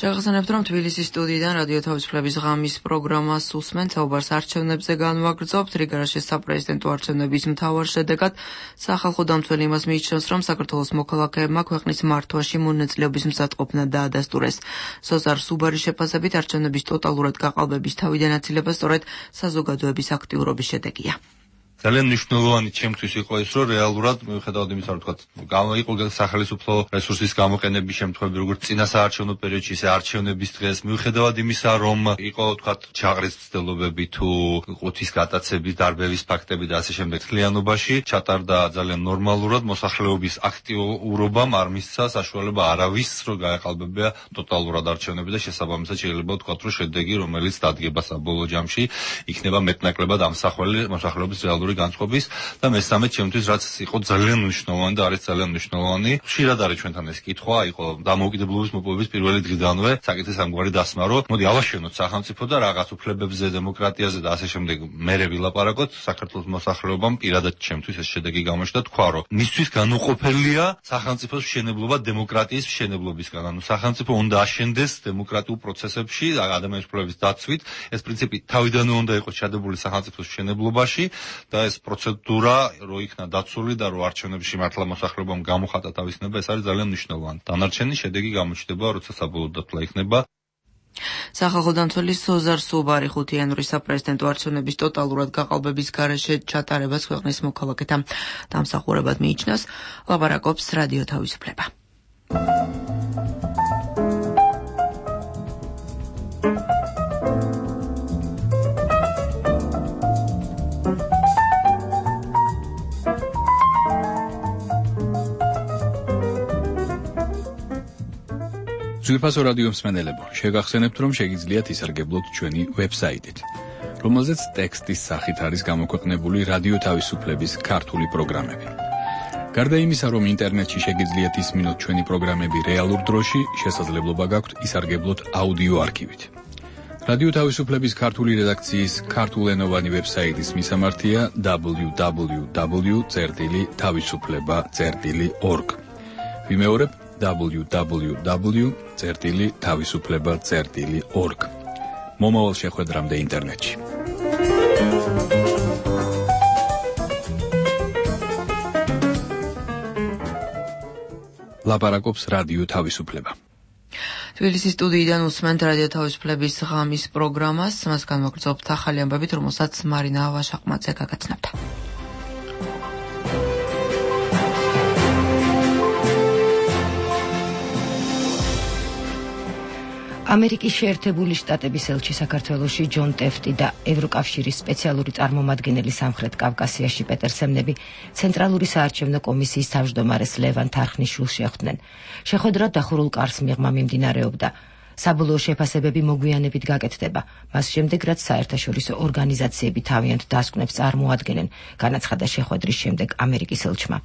შევახსენებთ, რომ თბილისის სტუდიიდან რადიო თავისუფლების ღამის პროგრამას უსმენთ. საუბარს არჩევნებზე განვაგრძობთ. რიგარაშეს საპრეზიდენტო არჩევნების მთავარ შედეგად სახალხო დამცველი იმას მიიჩნევს, რომ საქართველოს მოქალაქეებმა ქვეყნის მართვაში მონაწილეობის მზადყოფნა დაადასტურეს. ზოზარ სუბარის შეფასებით არჩევნების ტოტალურად გაყალბების თავიდან აცილება სწორედ საზოგადოების აქტიურობის შედეგია. ძალიან მნიშვნელოვანი ჩემთვის იყო ის, რომ რეალურად მიუხედავად იმისა, რომ თქვა იყო სახელმწიფო რესურსის გამოყენების შემთხვევები, როგორც წინა საარჩევნო პერიოდში, ისე არჩევნების დღეს, მიუხედავად იმისა, რომ იყო თქვა ჯაღრის ცდილობები თუ ყუთის გატაცების დარბევის ფაქტები და ასე შემდეგ, თლიანობაში ჩატარდა ძალიან ნორმალურად მოსახლეობის აქტიურობამ არ მისცა საშუალება არავის, რომ გაეყალბებია ტოტალურად არჩევნები და შესაბამისად შეიძლება ვთქვათ, რომ შედეგი, რომელიც დადგება საბოლოო ჯამში, იქნება მეტნაკლებად ამსახველი მოსახლეობის რეალური განწყობის და მესამე ჩემთვის რაც იყო ძალიან მნიშვნელოვანი და არის ძალიან მნიშვნელოვანი, ხშირად არის ჩვენთან ეს კითხვა, იყო დამოუკიდებლობის მოპოვების პირველი დღიდანვე საკითხის ამგვარი დასმა, რომ მოდი ავაშენოთ სახელმწიფო და რაღაც უფლებებზე, დემოკრატიაზე და ასე შემდეგ მერე ვილაპარაკოთ საქართველოს მოსახლეობამ. პირადად ჩემთვის ეს შედეგი გამოჩნდა, თქვა რომ მისთვის განუყოფელია სახელმწიფოს მშენებლობა დემოკრატიის მშენებლობისგან. ანუ სახელმწიფო უნდა აშენდეს დემოკრატიულ პროცესებში, ადამიანის უფლებების დაცვით. ეს პრინციპი თავიდანვე უნდა იყოს ჩადებული სახელმწიფოს მშენებლობაში. და ეს პროცედურა რო იქნა დაცული და რო არჩევნებში მართლა მოსახლეობამ გამოხატა თავის ნება, ეს არის ძალიან მნიშვნელოვანი. დანარჩენი შედეგი გამოჩნდება, როცა საბოლოო დათვლა იქნება. სახალხო დამცველი ზოზარ სუბარი ხუთი იანვრის საპრეზიდენტო არჩევნების ტოტალურად გაყალბების გარეშე ჩატარებას ქვეყნის მოქალაქეთა დამსახურებად მიიჩნევს. ლაპარაკობს რადიო თავისუფლება. ძვირფასო რადიო მსმენელებო, შეგახსენებთ, რომ შეგიძლიათ ისარგებლოთ ჩვენი ვებსაიტით, რომელზეც ტექსტის სახით არის გამოქვეყნებული რადიო თავისუფლების ქართული პროგრამები. გარდა იმისა, რომ ინტერნეტში შეგიძლიათ ისმინოთ ჩვენი პროგრამები რეალურ დროში, შესაძლებლობა გაქვთ ისარგებლოთ აუდიო არქივით. რადიო თავისუფლების ქართული რედაქციის ქართულენოვანი ვებსაიტის მისამართია დაბლიუ დაბლიუ დაბლიუ წერტილი თავისუფლება წერტილი ორგ. ვიმეორებ დაბლიუ დაბლიუ დაბლიუ წერტილი თავისუფლება წერტილი ორგ. მომავალ შეხვედრამდე ინტერნეტში. ლაპარაკობს რადიო თავისუფლება. თბილისის სტუდიიდან უსმენთ რადიო თავისუფლების ღამის პროგრამას, მას განვაგრძობთ ახალი ამბებით, რომელსაც მარინა ვაშაყმაძე გაგაცნობდა. ამერიკის შეერთებული შტატების ელჩი საქართველოში ჯონ ტეფტი და ევროკავშირის სპეციალური წარმომადგენელი სამხრეთ კავკასიაში პეტერ სემნები ცენტრალური საარჩევნო კომისიის თავმჯდომარეს ლევან თარხნიშვილს შეხვდნენ. შეხვედრა დახურულ კარს მიღმა მიმდინარეობდა. საბოლოო შეფასებები მოგვიანებით გაკეთდება, მას შემდეგ რაც საერთაშორისო ორგანიზაციები თავიანთ დასკვნებს წარმოადგენენ, განაცხადა შეხვედრის შემდეგ ამერიკის ელჩმა.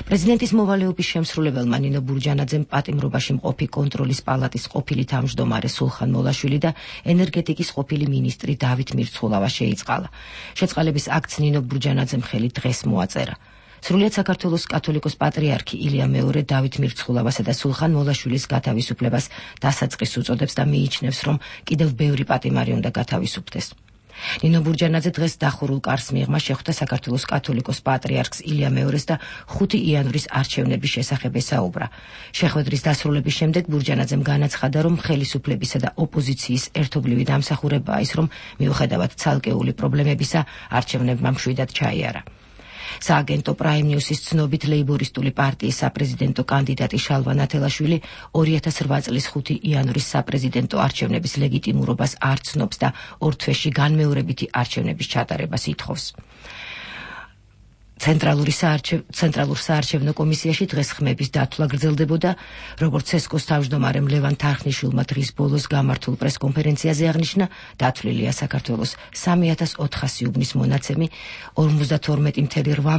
პრეზიდენტის მოვალეობის შემსრულებელმა ნინო ბურჯანაძემ პატიმრობაში მყოფი კონტროლის პალატის ყოფილი თავმჯდომარე სულხან მოლაშვილი და ენერგეტიკის ყოფილი მინისტრი დავით მირცხულავა შეიწყალა. შეწყალების აქტს ნინო ბურჯანაძემ ხელი დღეს მოაწერა. სრულიად საქართველოს კათოლიკოს პატრიარქი ილია მეორე დავით მირცხულავასა და სულხან მოლაშვილის გათავისუფლებას დასაწყისს უწოდებს და მიიჩნევს, რომ კიდევ ბევრი პატიმარი უნდა გათავისუფლდეს. ნინო ბურჯანაძე დღეს დახურულ კარს მიღმა შეხვდა საქართველოს კათოლიკოს პატრიარქს ილია მეორეს და ხუთი იანვრის არჩევნების შესახებ ესაუბრა. შეხვედრის დასრულების შემდეგ ბურჯანაძემ განაცხადა, რომ ხელისუფლებისა და ოპოზიციის ერთობლივი დამსახურებაა ის, რომ მიუხედავად ცალკეული პრობლემებისა, არჩევნებმა მშვიდად ჩაიარა. სააგენტო პრაიმ ნიუსის ცნობით ლეიბორისტული პარტიის საპრეზიდენტო კანდიდატი შალვა ნათელაშვილი ორი ათას რვა წლის ხუთი იანვრის საპრეზიდენტო არჩევნების ლეგიტიმურობას არ ცნობს და ორ თვეში განმეორებითი არჩევნების ჩატარებას ითხოვს. ცენტრალური ცენტრალურ საარჩევნო კომისიაში დღეს ხმების დათვლა გრძელდებოდა, როგორც ცესკოს თავმჯდომარემ ლევან თარხნიშვილმა დღის ბოლოს გამართულ პრესკონფერენციაზე აღნიშნა, დათვლილია საქართველოს სამი ათას ოთხასი უბნის მონაცემი, ორმოცდათორმეტი კoma რვა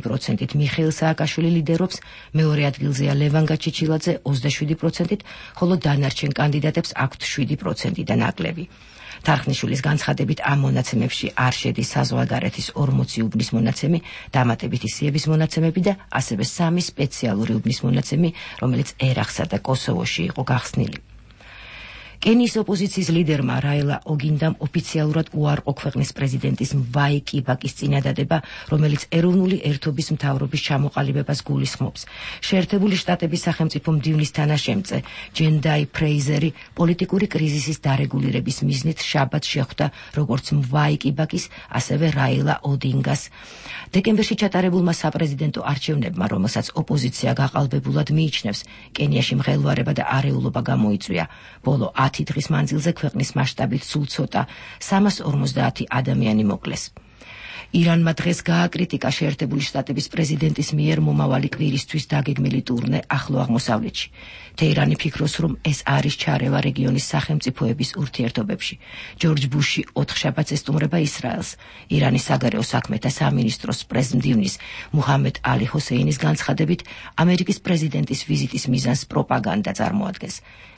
პროცენტით მიხეილ სააკაშვილი ლიდერობს, მეორე ადგილზეა ლევან გაჩიჩილაძე ოცდაშვიდი პროცენტით, ხოლო დანარჩენ კანდიდატებს აქვთ შვიდი პროცენტი და ნაკლები. თარხნიშვილის განცხადებით ამ მონაცემებში არ შედის საზღვარგარეთის ორმოცი უბნის მონაცემი, დამატებითი სიების მონაცემები და ასევე სამი სპეციალური უბნის მონაცემი, რომელიც ერაყსა და კოსოვოში იყო გახსნილი. კენიის ოპოზიციის ლიდერმა რაილა ოგინდამ ოფიციალურად უარყო ქვეყნის პრეზიდენტის მვაი კიბაკის წინადადება, რომელიც ეროვნული ერთობის მთავრობის ჩამოყალიბებას გულისხმობს. შეერთებული შტატების სახელმწიფო მდივნის თანაშემწე ჯენდაი ფრეიზერი პოლიტიკური კრიზისის დარეგულირების მიზნით შაბათს შეხვდა როგორც მვაი კიბაკის, ასევე რაილა ოდინგას. დეკემბერში ჩატარებულმა საპრეზიდენტო არჩევნებმა, რომელსაც ოპოზიცია გაყალბებულად მიიჩნევს, კენიაში მღელვარება და არეულობა გამოიწვია. ბოლო ათი დღის მანძილზე ქვეყნის მასშტაბით სულ ცოტა სამას ორმოცდაათი ადამიანი მოკლეს. ირანმა დღეს გააკრიტიკა შეერთებული შტატების პრეზიდენტის მიერ მომავალი კვირისთვის დაგეგმილი ტურნე ახლო აღმოსავლეთში. თეირანი ფიქრობს, რომ ეს არის ჩარევა რეგიონის სახელმწიფოების ურთიერთობებში. ჯორჯ ბუში ოთხშაბათს ესტუმრება ისრაელს. ირანის საგარეო საქმეთა სამინისტროს პრეზმდივნის მუჰამედ ალი ჰოსეინის განცხადებით, ამერიკის პრეზიდენტის ვიზიტის მიზანს პროპაგანდა წარმოადგენს.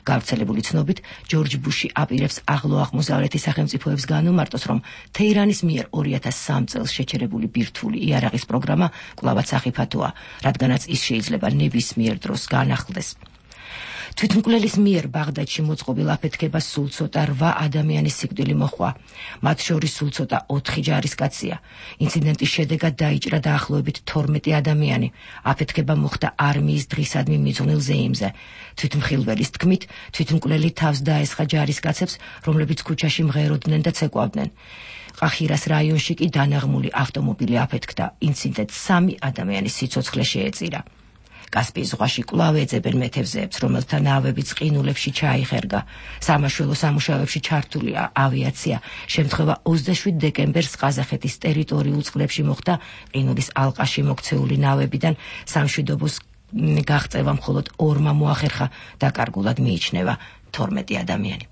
გავრცელებული ცნობით, ჯორჯ ბუში აპირებს ახლო აღმოსავლეთის სახელმწიფოებს განუმარტოს, რომ თეირანის მიერ ორი ათას სამი წელს შეჩერებული ბირთვული იარაღის პროგრამა კვლავაც ახიფათოა, რადგანაც ის შეიძლება ნებისმიერ დროს განახლდეს. თვითმკვლელის მიერ ბაღდადში მოწყობილ აფეთქებას სულ ცოტა რვა ადამიანის სიკვდილი მოჰყვა. მათ შორის სულ ცოტა ოთხი ჯარისკაცია. ინციდენტის შედეგად დაიჭრა დაახლოებით თორმეტი ადამიანი. აფეთქება მოხდა არმიის დღისადმი მიძღვნილ ზეიმზე. თვითმხილველის თქმით, თვითმკვლელი თავს დაესხა ჯარისკაცებს, რომლებიც ქუჩაში მღეროდნენ და ცეკვავდნენ. ყახირას რაიონში კი დანაღმული ავტომობილი აფეთქდა. ინციდენტს სამი ადამიანის სიცოცხლე შეეწირა. კასპიის ზღვაში კვლავ ეძებენ მეთევზეებს, რომელთა ნავებიც ყინულებში ჩაიხერგა. სამაშველო სამუშაოებში ჩართულია ავიაცია. შემთხვევა ოცდაშვიდ დეკემბერს ყაზახეთის ტერიტორიულ წყლებში მოხდა. ყინულის ალყაში მოქცეული ნავებიდან სამშვიდობოს გაღწევა მხოლოდ ორმა მოახერხა, დაკარგულად მიიჩნევა თორმეტი ადამიანი.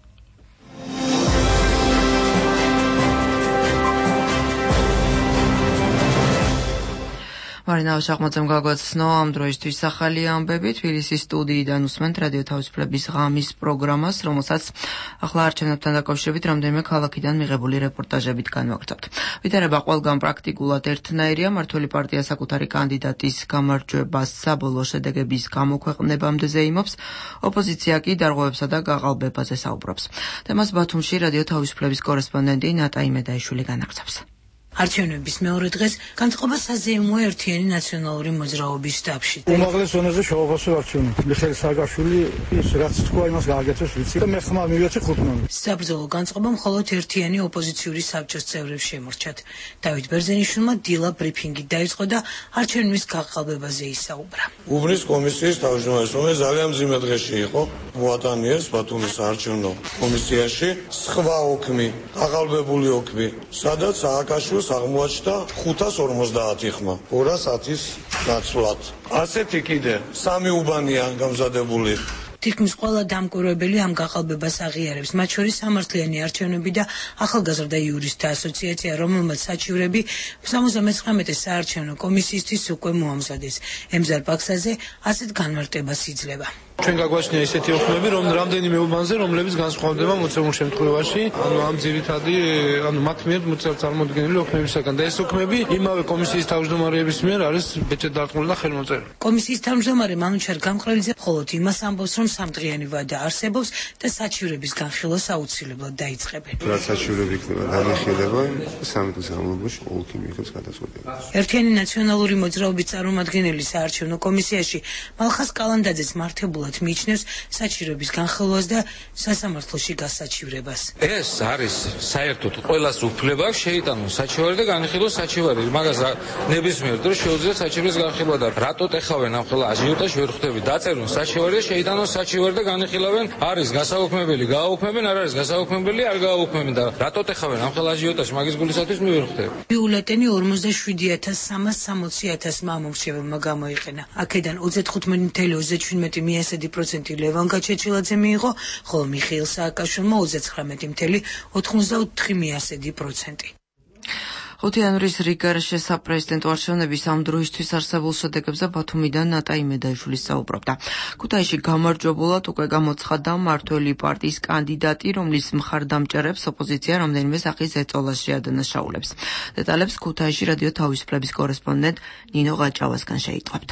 მარინა ვაშახმაძემ გაგვაცნო ამ დროისთვის ახალი ამბები. თბილისის სტუდიიდან უსმენთ რადიო თავისუფლების ღამის პროგრამას, რომელსაც ახლა არჩევნებთან დაკავშირებით რამდენიმე ქალაქიდან მიღებული რეპორტაჟებით განვაგრძობთ. ვითარება ყველგან პრაქტიკულად ერთნაირია. მმართველი პარტია საკუთარი კანდიდატის გამარჯვებას საბოლოო შედეგების გამოქვეყნებამდე ზეიმობს. ოპოზიცია კი დარღვევებსა და გაყალბებაზე საუბრობს. თემას ბათუმში რადიო თავისუფლების კორესპონდენტი ნატა იმედაიშვილი განაგრძობს. არჩევნების მეორე დღეს განწყობა საზეიმოა ერთიანი ნაციონალური მოძრაობის შტაბში. უმაღლეს ზონაზე შეუღოსო არჩევნი. მიხეილ სააკაშვილი ის რაც თქვა იმას გააკეთეს ვიცი და მე ხმა მივეცი ხუთმანი. საბრძოლო განწყობა მხოლოდ ერთიანი ოპოზიციური საბჭოს წევრებს შემორჩათ. დავით ბერძენიშვილმა დილა ბრიფინგი დაიწყო და არჩევნების გაყალბებაზე ისაუბრა. უბნის კომისიის თავმჯდომარის, რომელიც ძალიან მძიმე დღეში იყო, მოატანიეს ბათუმის საარჩევნო კომისიაში სხვა ოქმი, გაყალბებული ოქმი, სადაც სააკაშვილს აღმოაჩნდა ხუთას ორმოცდაათი ხმა, ორას ათის ნაცვლად. ასეთი კიდე სამი უბანია გამზადებული. თითქმის ყველა დამკვირვებელი ამ გაყალბებას აღიარებს, მათ შორის სამართლიანი არჩევნები და ახალგაზრდა იურისტთა ასოციაცია, რომელმაც საჩივრები სამოცდამეცხრამეტე საარჩევნო კომისიისთვის უკვე მოამზადეს. ემზარ პაქსაზე ასეთ განმარტებას იძლევა. ჩვენ გაგვაჩნია ისეთი ოქმები, რომ რამდენიმე უბანზე, რომლებიც განსხვავდება მოცემულ შემთხვევაში, ანუ ამ ძირითადი, ანუ მათ მიერ წარმოდგენილი ოქმებისაგან და ეს ოქმები იმავე კომისიის თავმჯდომარეების მიერ არის ბეჭედ დარწმუნებული და ხელმოწერილი. კომისიის თავმჯდომარე მანუჩარ გამყრელიძე მხოლოდ იმას ამბობს, რომ სამდღიანი ვადა არსებობს და საჩივრების განხილვა აუცილებლად დაიწყებენ. რაც საჩივრები იქნება განხილება, სამი დღის განმავლობაში ყოველთვის მიიღებს გადაწყვეტილებას. ერთიანი ნაციონალური მოძრაობის წარმომადგენელი საარჩევნო კომისიაში მალხას კალანდაძეც მართებულად მიიჩნევს საჩივრების განხილვას და სასამართლოში გასაჩივრებას. ეს არის საერთოდ ყველას უფლება აქვს შეიტანოს საჩივარი და განხილოს საჩივარი. მაგას ნებისმიერ დროს შეუძლია საჩივრის განხილვა და რატო ტეხავენ ამ ხელა აჟიოტაჟი ვერ ხვდები. დაწერონ საჩივარი და შეიტანოს საჩივარი და განხილავენ. არის გასაუქმებელი, გააუქმებენ, არ არის გასაუქმებელი, არ გააუქმებენ და რატო ტეხავენ ამ ხელა აჟიოტაჟი მაგის გულისათვის მე ვერ ხვდები. ბიულეტენი ორმოცდაშვიდი ათას სამას სამოცი ათასმა მომრჩეველმა გამოიყენა. აქედან ოცდათხუთმეტი ათეული ოცდაჩვიდმეტი მიასედი პროცენტი ლევან გაჩეჩილაძე მიიღო, ხოლო მიხეილ სააკაშვილმა ოცდაცხრამეტი ათეული ოთხმოცდაოთხი მიასედი პროცენტი. ხუთი იანვრის რიგგარეშე საპრეზიდენტო არჩევნების ამ დროისთვის არსებულ შედეგებზე ბათუმიდან ნატა იმედაიშვილი საუბრობდა. ქუთაისში გამარჯვებულად უკვე გამოცხადდა მმართველი პარტიის კანდიდატი, რომლის მხარდამჭერებს ოპოზიცია რამდენიმე სახის ეწოლას შეადანაშაულებს. დეტალებს ქუთაისში რადიო თავისუფლების კორესპონდენტ ნინო გაჭავასგან შეიტყვებთ.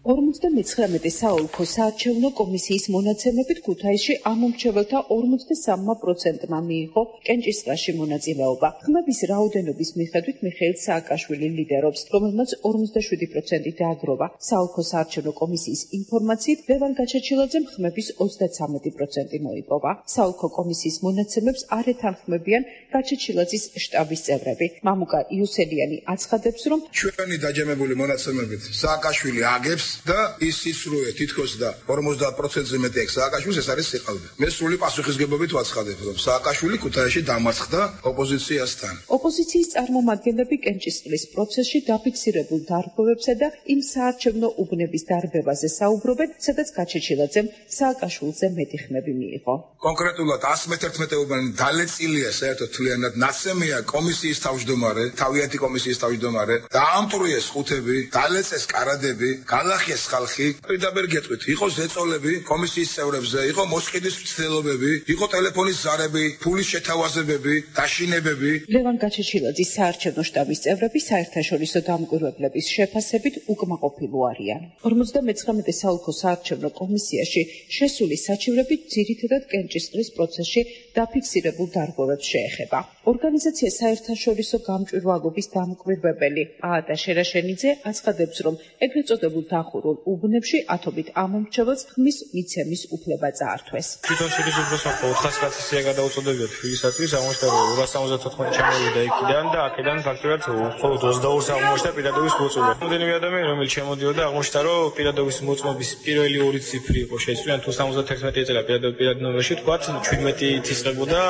ორმოცდამეცხრამეტე საოლქო საარჩევნო კომისიის მონაცემებით ქუთაისში ამომრჩეველთა ორმოცდასამმა პროცენტმა მიიღო კენჭისყრაში მონაწილეობა. ხმების რაოდენობის მიხედვით მიხეილ სააკაშვილი ლიდერობს, რომელმაც ორმოცდაშვიდი პროცენტი დააგროვა. საოლქო საარჩევნო კომისიის ინფორმაციით ლევან გაჩეჩილაძემ ხმების ოცდაცამეტი პროცენტი მოიპოვა. საოლქო კომისიის მონაცემებს არ ეთანხმებიან გაჩეჩილაძის შტაბის წევრები. მამუკა იუსელიანი აცხადებს, რომ ჩვენი დაჯამებული მონაცემებით სააკაშვილი აგებს და ის სისრუე თითქოს და ორმოცდაათ პროცენტზე მეტი აქვს სააკაშვილს, ეს არის სიყალბე. მე სრული პასუხისგებლობით ვაცხადებ, რომ სააკაშვილი ქუთაისში დამარცხდა ოპოზიციასთან. ოპოზიციის წარმომადგენლები კენჭისყრის პროცესში დაფიქსირებულ დარღვევებსა და იმ საარჩევნო უბნების დარბევაზე საუბრობენ, სადაც გაჩეჩილაძემ სააკაშვილზე მეტი ხმები მიიღო. კონკრეტულად ას მეთერთმეტე უბანი დალეწილია საერთოდ თლიანად, ნაცემია კომისიის თავმჯდომარე, თავიანთი კომისიის თავმჯდომარე, დაამტვრიეს ხუთები, დალეწეს კარადები, გალახიეს ხალხი, პირდაპირ გეტყვით, იყო ზეწოლები კომისიის წევრებზე, იყო მოსყიდის მცდელობები, იყო ტელეფონის ზარები, ფულის შეთავაზებები, დაშინებები. ლევან გაჩეჩილაძის საარჩევნო შტაბის წევრები საერთაშორისო დამკვირვებლების შეფასებით უკმაყოფილო არიან. ორმოცდამეცხრამეტე საოლქო საარჩევნო კომისიაში შესული საჩივრები ძირითადად კენჭისყრის პროცესში დაფიქსირებულ დარღვევებს შეეხება. ორგანიზაცია საერთაშორისო გამჭვირვალობის დამკვირვებელი პაატა შერაშენიძე აცხადებს, რომ ეგრეთ წოდებულ დახურულ უბნებში ათობით ამომრჩეველს ხმის მიცემის უფლება წაართვეს. თვითონ შედის უბრალოდ ოთხას კაცის სია გადაუწოდებიათ ფიგისათვის, აღმოჩნდა რომ ორას სამოცდათოთხმეტი ჩამოვიდა იქიდან და აქედან ფაქტობრივად მხოლოდ ოცდაორს აღმოჩნდა პირადობის მოწმობა. რამდენიმე ადამიანი რომელიც შემოდიოდა აღმოჩნდა რომ პირადობის მოწმობის პირველი ორი ციფრი იყო შეცვლილი, თუ სამოცდათერთმეტი ეწელა პირადობის პირად ნომერში, თქვათ ჩვიდმეტი თისყებოდა,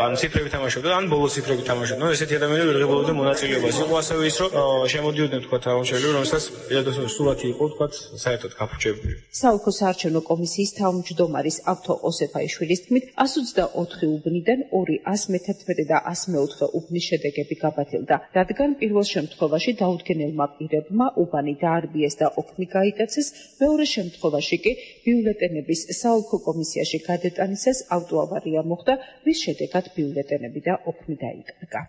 ან ციფრები თამაშობდა, ან ბოლო ციფრები თამაშობდა. ესეთი ადამიანები ვერ ღებულობდნენ მონაწილეობას. იყო ასევე ის რომ შემოდიოდნენ თქვათ აღმოჩენილი რომელსაც პირადობის სურათი იყო თქვათ საერთოდ გაფუჭებული. საოლქო საარჩევნო კომისიის თავმჯდომარის ავთო ოსეფაიშვილის თქმით, ას ოცდაოთხი უბნიდან ორი ას მეთერთმეტე და ას მეოთხე უბნის შედეგები გაბათილდა, რადგან პირველ შემთხვევაში დაუდგენელმა პირებმა უბანი დაარბიეს და ოქმი გაიტაცეს, მეორე შემთხვევაში კი ბიულეტენების საოლქო კომისიაში გადატანისას ავტოავარია მოხდა, რის შედეგად ბიულეტენები და ოქმი დაიკარგა.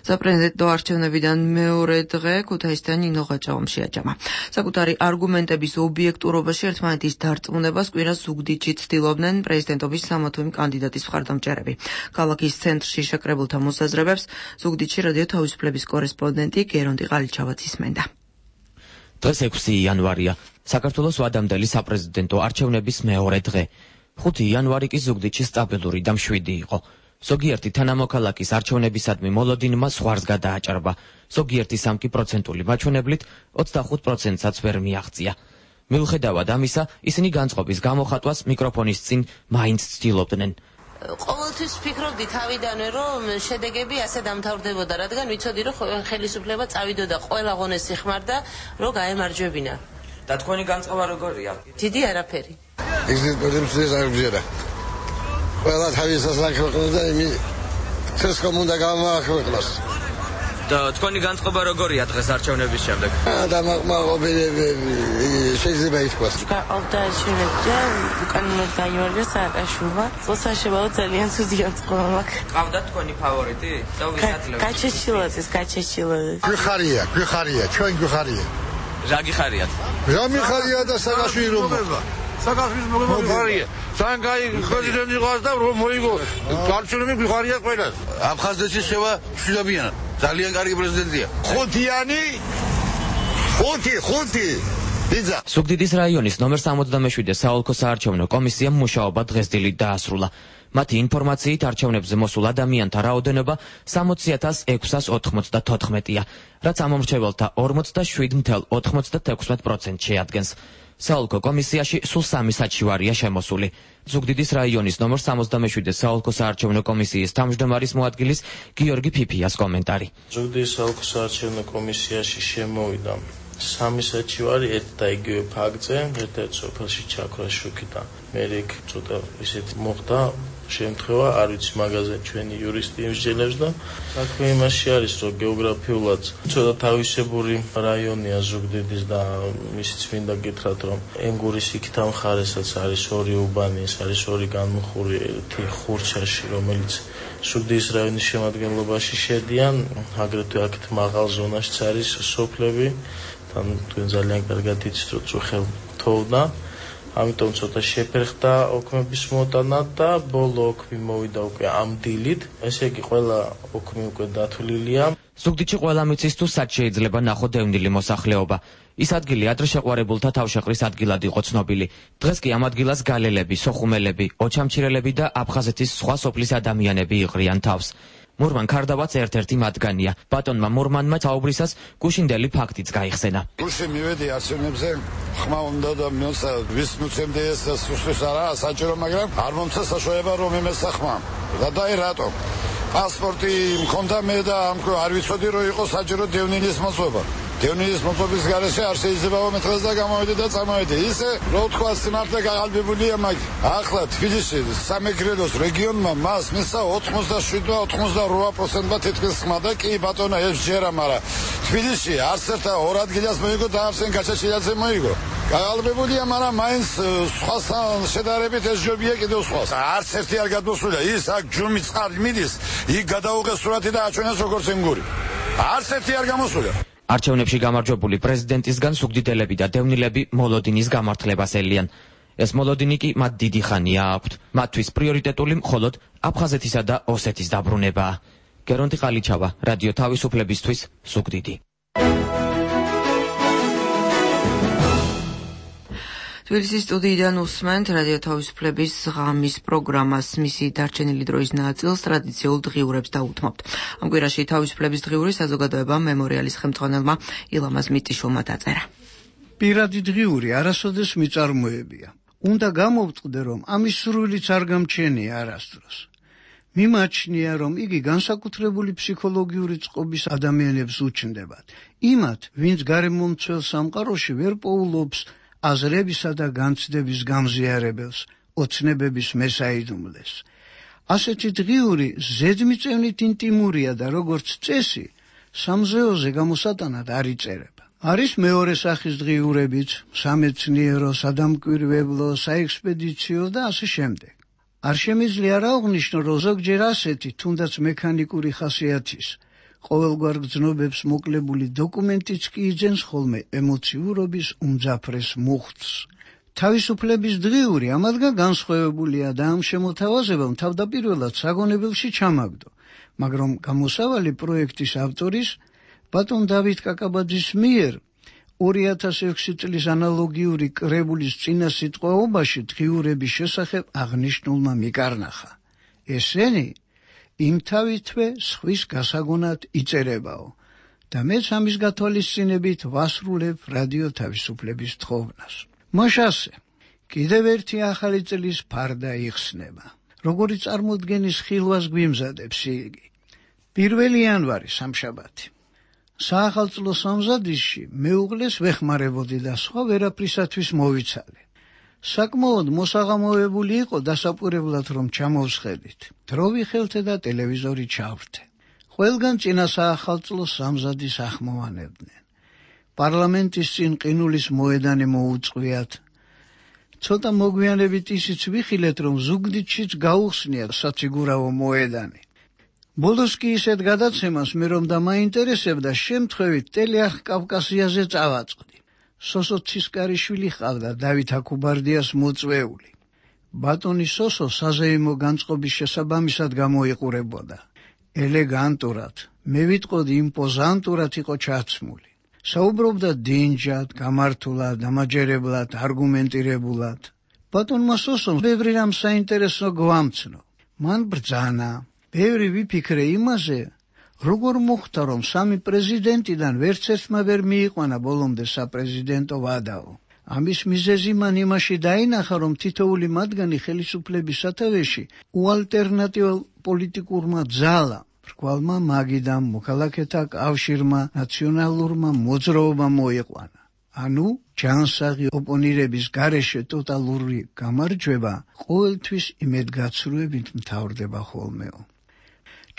საპრეზიდენტო არჩევნებიდან მეორე დღე ქუთაისთან ნინო ღვაწლოვამ შეაჯამა. საკუთარი არგუმენტების ობიექტურობაში ერთმანეთის დარწმუნებას კვირას ზუგდიდში ცდილობდნენ პრეზიდენტობის სამოთმე კანდიდატის მხარდამჭერები. ქალაქის ცენტრში შეკრებულთა მოსაზრებებს ზუგდიდში რადიო თავისუფლების კორესპონდენტი გერონტი ყალიჩავაც ისმენდა. დღეს ექვსი იანვარია, საქართველოს ვადამდელი საპრეზიდენტო არჩევნების მეორე დღე. ხუთი იანვარი კი ზუგდიდში სტაბილური და მშვიდი იყო. ზოგიერთი თანამოქალაქის არჩევნებისადმი მოლოდინმა ზღვარს გადააჭარბა. ზოგიერთი სამი პროცენტული მაჩვენებლით ოცდახუთ პროცენტსაც ვერ მიაღწია. მიუხედავად ამისა, ისინი განწყობის გამოხატვას მიკროფონის წინ მაინც ცდილობდნენ. ყოველთვის ვფიქრობდი თავიდანვე, რომ შედეგები ასე დამთავრდებოდა, რადგან ვიცოდი, რომ ხელისუფლება წავიდოდა ყველა ღონეს იხმარდა, რომ გაემარჯვებინა. და თქვენი განწყობა როგორია? დიდი არაფერი. ისეთ პრინციპს არ ვზერა. ყველა თავისას აქვეყნდა იმი ეს კომუნდა გამოაქვეყნოს. და თქვენი განწყობა როგორია დღეს არჩევნების შემდეგ? და მაგმაღობილები შეიძლება ითქვას. გავდა არჩევნებზე, უკანონოდ გაიმარჯვა სააკაშვილმა. წოსაშებაო ძალიან ცუდი განწყობა მაქვს. ყავდათ თქვენი ფავორიტი? და ვისაძლევთ? გაჩეჩილაძეს, გაჩეჩილაძეს. გვიხარია, გვიხარია, ჩვენ გვიხარია. რა გიხარიათ? რა მიხარია და სააკაშვილი რომ საქართველოს მოგებია. ძალიან კაი პრეზიდენტი ყავს და რომ მოიგო. არჩევნები გვიხარია ყველას. აფხაზეთში შევა მშვიდობიანად. ძალიან კარგი პრეზიდენტია. ხუთიანი ხუთი ხუთი ბიძა. ზუგდიდის რაიონის ნომერ სამოცდამეშვიდე საოლქო საარჩევნო კომისიამ მუშაობა დღეს დილით დაასრულა. მათი ინფორმაციით არჩევნებზე მოსულ ადამიანთა რაოდენობა სამოცი ათას ექვსას ოთხმოცდათოთხმეტია, რაც ამომრჩეველთა ორმოცდაშვიდ მთელ ოთხმოცდათექვსმეტ პროცენტს შეადგენს. საოლქო კომისიაში სულ სამი საჩივარია შემოსული. ზუგდიდის რაიონის ნომერ სამოცდამეშვიდე საოლქო საარჩევნო კომისიის თავმჯდომარის მოადგილის გიორგი ფიფიას კომენტარი. ზუგდიდის საოლქო საარჩევნო კომისიაში შემოვიდა სამი საჩივარი ერთ და იგივე ფაქტზე, ერთ-ერთ სოფელში ჩაქრა შუქი და მე იქ ცოტა ისეთი მოხდა შემთხვევა, არ ვიცი მაგაზე ჩვენი იურისტი იმსჯელებს და საქმე იმაში არის, რომ გეოგრაფიულად ცოტა თავისებური რაიონია ზუგდიდის და ისიც მინდა გითხრათ, რომ ენგურის იქით ამ მხარესაც არის ორი უბანი, ეს არის ორი განმუხური ერთი ხურჩაში, რომელიც ზუგდიდის რაიონის შემადგენლობაში შედიან, აგრეთვე აქეთ მაღალ ზონაშიც არის სოფლები, თან თქვენ ძალიან კარგად იცით, რომ წუხელ თოვდა. ამიტომ ცოტა შეფერხდა ოქმების მოტანა და ბოლო ოქმი მოვიდა უკვე ამ დილით. ესე იგი ყველა ოქმი უკვე დათვლილია. ზუგდიდში ყველა მიცის თუ სად შეიძლება ნახო დევნილი მოსახლეობა. ის ადგილი ადრე შეყვარებულთა თავშეყრის ადგილად იყო ცნობილი. დღეს კი ამ ადგილას გალელები, სოხუმელები, ოჩამჩირელები და აფხაზეთის სხვა სოფლის ადამიანები იყრიან თავს. მურმან ქარდავაც ერთ-ერთი მათგანია. ბატონმა მურმანმა თაუბრისას გუშინდელი ფაქტიც გაიხსენა. გუშინ მივედი არჩევნებზე, ხმა უნდა და მოცე ვის მოცემდე ეს სუსტის არა საჭირო, მაგრამ არ მომცა საშუალება რომ იმესა ხმა. და დაი რატო? პასპორტი მქონდა მე და ამქო არ ვიცოდი რომ იყო საჭირო დევნილის მოწვევა. დევნილის მოწვევის გარეშე არ შეიძლება მე დღეს და გამოვედი და წამოვედი. ისე რო თქვა სიმართლე გაყალბებულია მაგ. ახლა თბილისში სამეგრელოს რეგიონმა მას მისცა ოთხმოცდაშვიდ და ოცდაოთხ პროცენტმა თითქმის ხმა და კი ბატონო ეს ჯერა, მაგრამ თბილისში არც ერთ ორ ადგილას მოიგო და არც გაჩეჩილაძე მოიგო. გაყალბებულია, მაგრამ მაინც სხვასთან შედარებით ეს ჯობია კიდევ სხვა. არც ერთი არ გადმოსულა. ის აქ ჯუმი წყალი მიდის, იქ გადაუღეს სურათი და აჩვენეს როგორც ენგური. არც ერთი არ გამოსულა. არჩევნებში გამარჯვებული პრეზიდენტისგან ზუგდიდელები და დევნილები მოლოდინის გამართლებას ელიან. ეს მოლოდინი კი მათ დიდი ხანია აქვთ. მათთვის პრიორიტეტული მხოლოდ აფხაზეთისა და ოსეთის დაბრუნებაა. გერონტი ყალიჩავა, რადიო თავისუფლებისთვის, ზუგდიდი. თბილისის სტუდიიდან უსმენთ რადიო თავისუფლების ღამის პროგრამას. მისი დარჩენილი დროის ნაწილს ტრადიციულ დღიურებს დაუთმობთ. ამ კვირაში თავისუფლების დღიური საზოგადოება მემორიალის ხელმძღვანელმა ილამაზ მიწიშვილმა დაწერა. პირადი დღიური არასოდეს მიწარმოებია. უნდა გამოვწყდე, რომ ამის სრულიც არ გამჩენია არასდროს. მიმაჩნია, რომ იგი განსაკუთრებული ფსიქოლოგიური წყობის ადამიანებს უჩნდებათ. იმათ, ვინც გარემომცველ სამყაროში ვერ პოულობს აზრებისა და განცდების გამზიარებელს, ოცნებების მესაიდუმლეს. ასეთი დღიური ზედმიწევნით ინტიმურია და როგორც წესი, სამზეოზე გამოსატანად არ იწერება. არის მეორე სახის დღიურებიც, სამეცნიერო, სადამკვირვებლო, საექსპედიციო და ასე შემდეგ. არ შემიძლია რა აღნიშნო, რომ ზოგჯერ ასეთი, თუნდაც მექანიკური ხასიათის, ყოველგვარ გრძნობებს მოკლებული დოკუმენტიც კი იძენს ხოლმე ემოციურობის უმძაფრეს მუხტს. თავისუფლების დღიური ამადგან განსხვავებულია და ამ შემოთავაზებამ თავდაპირველად საგონებელში ჩამაგდო, მაგრამ გამოსავალი პროექტის ავტორის ბატონ დავით კაკაბაძის მიერ ორი ათას ექვსი წლის ანალოგიური კრებულის წინა სიტყვაობაში დღიურების შესახებ აღნიშნულმა მიკარნახა. ესენი იმთავითვე სხვის გასაგონად იწერებაო და მეც ამის გათვალისწინებით ვასრულებ რადიო თავისუფლების თხოვნას. მოშასე, კიდევ ერთი ახალი წლის ფარდა იხსნება. როგორი წარმოდგენის ხილვას გვიმზადებს იგი. პირველი იანვარი სამშაბათი. საახალწლო სამზადისში მეუღლეს ვეხმარებოდი და სხვა ვერაფრისათვის მოვიცალე. საკმაოდ მოსაღამოებული იყო დასაკვირებლად რომ ჩამოვსხედით. დრო ვიხელთე და ტელევიზორი ჩავრთე. ყველგან წინა საახალწლო სამზადის ახმოვანებდნენ. პარლამენტის წინ ყინულის მოედანი მოუწყვიათ. ცოტა მოგვიანებით ისიც ვიხილეთ რომ ზუგდიდშიც გაუხსნიათ საციგურავო მოედანი. ბოლოს კი ისეთ გადაცემას მე რომ დამაინტერესებდა შემთხვევით ტელეარხ კავკასიაზე წავაწყდი. სოსო ცისკარიშვილი ჰყავდა დავით აკუბარდიას მოწვეული. ბატონი სოსო საზეიმო განწყობის შესაბამისად გამოიყურებოდა. ელეგანტურად, მე ვიტყოდი იმპოზანტურად იყო ჩაცმული. საუბრობდა დინჯად, გამართულად, დამაჯერებლად, არგუმენტირებულად. ბატონმა სოსომ ბევრი რამ საინტერესო გვამცნო. მან ბრძანა. ბევრი ვიფიქრე იმაზე, როგორ მოხდა რომ სამი პრეზიდენტიდან ვერც ერთმა ვერ მიიყვანა ბოლომდე საპრეზიდენტო ვადაო. ამის მიზეზი მან იმაში დაინახა, რომ თითოეული მათგანი ხელისუფლების სათავეში უალტერნატიულ პოლიტიკურმა ძალამ, რგვალმა მაგიდამ, მოქალაქეთა კავშირმა, ნაციონალურმა მოძრაობამ მოიყვანა. ანუ ჯანსაღი ოპონირების გარეშე ტოტალური გამარჯვება ყოველთვის იმედგაცრუებით მთავრდება ხოლმეო.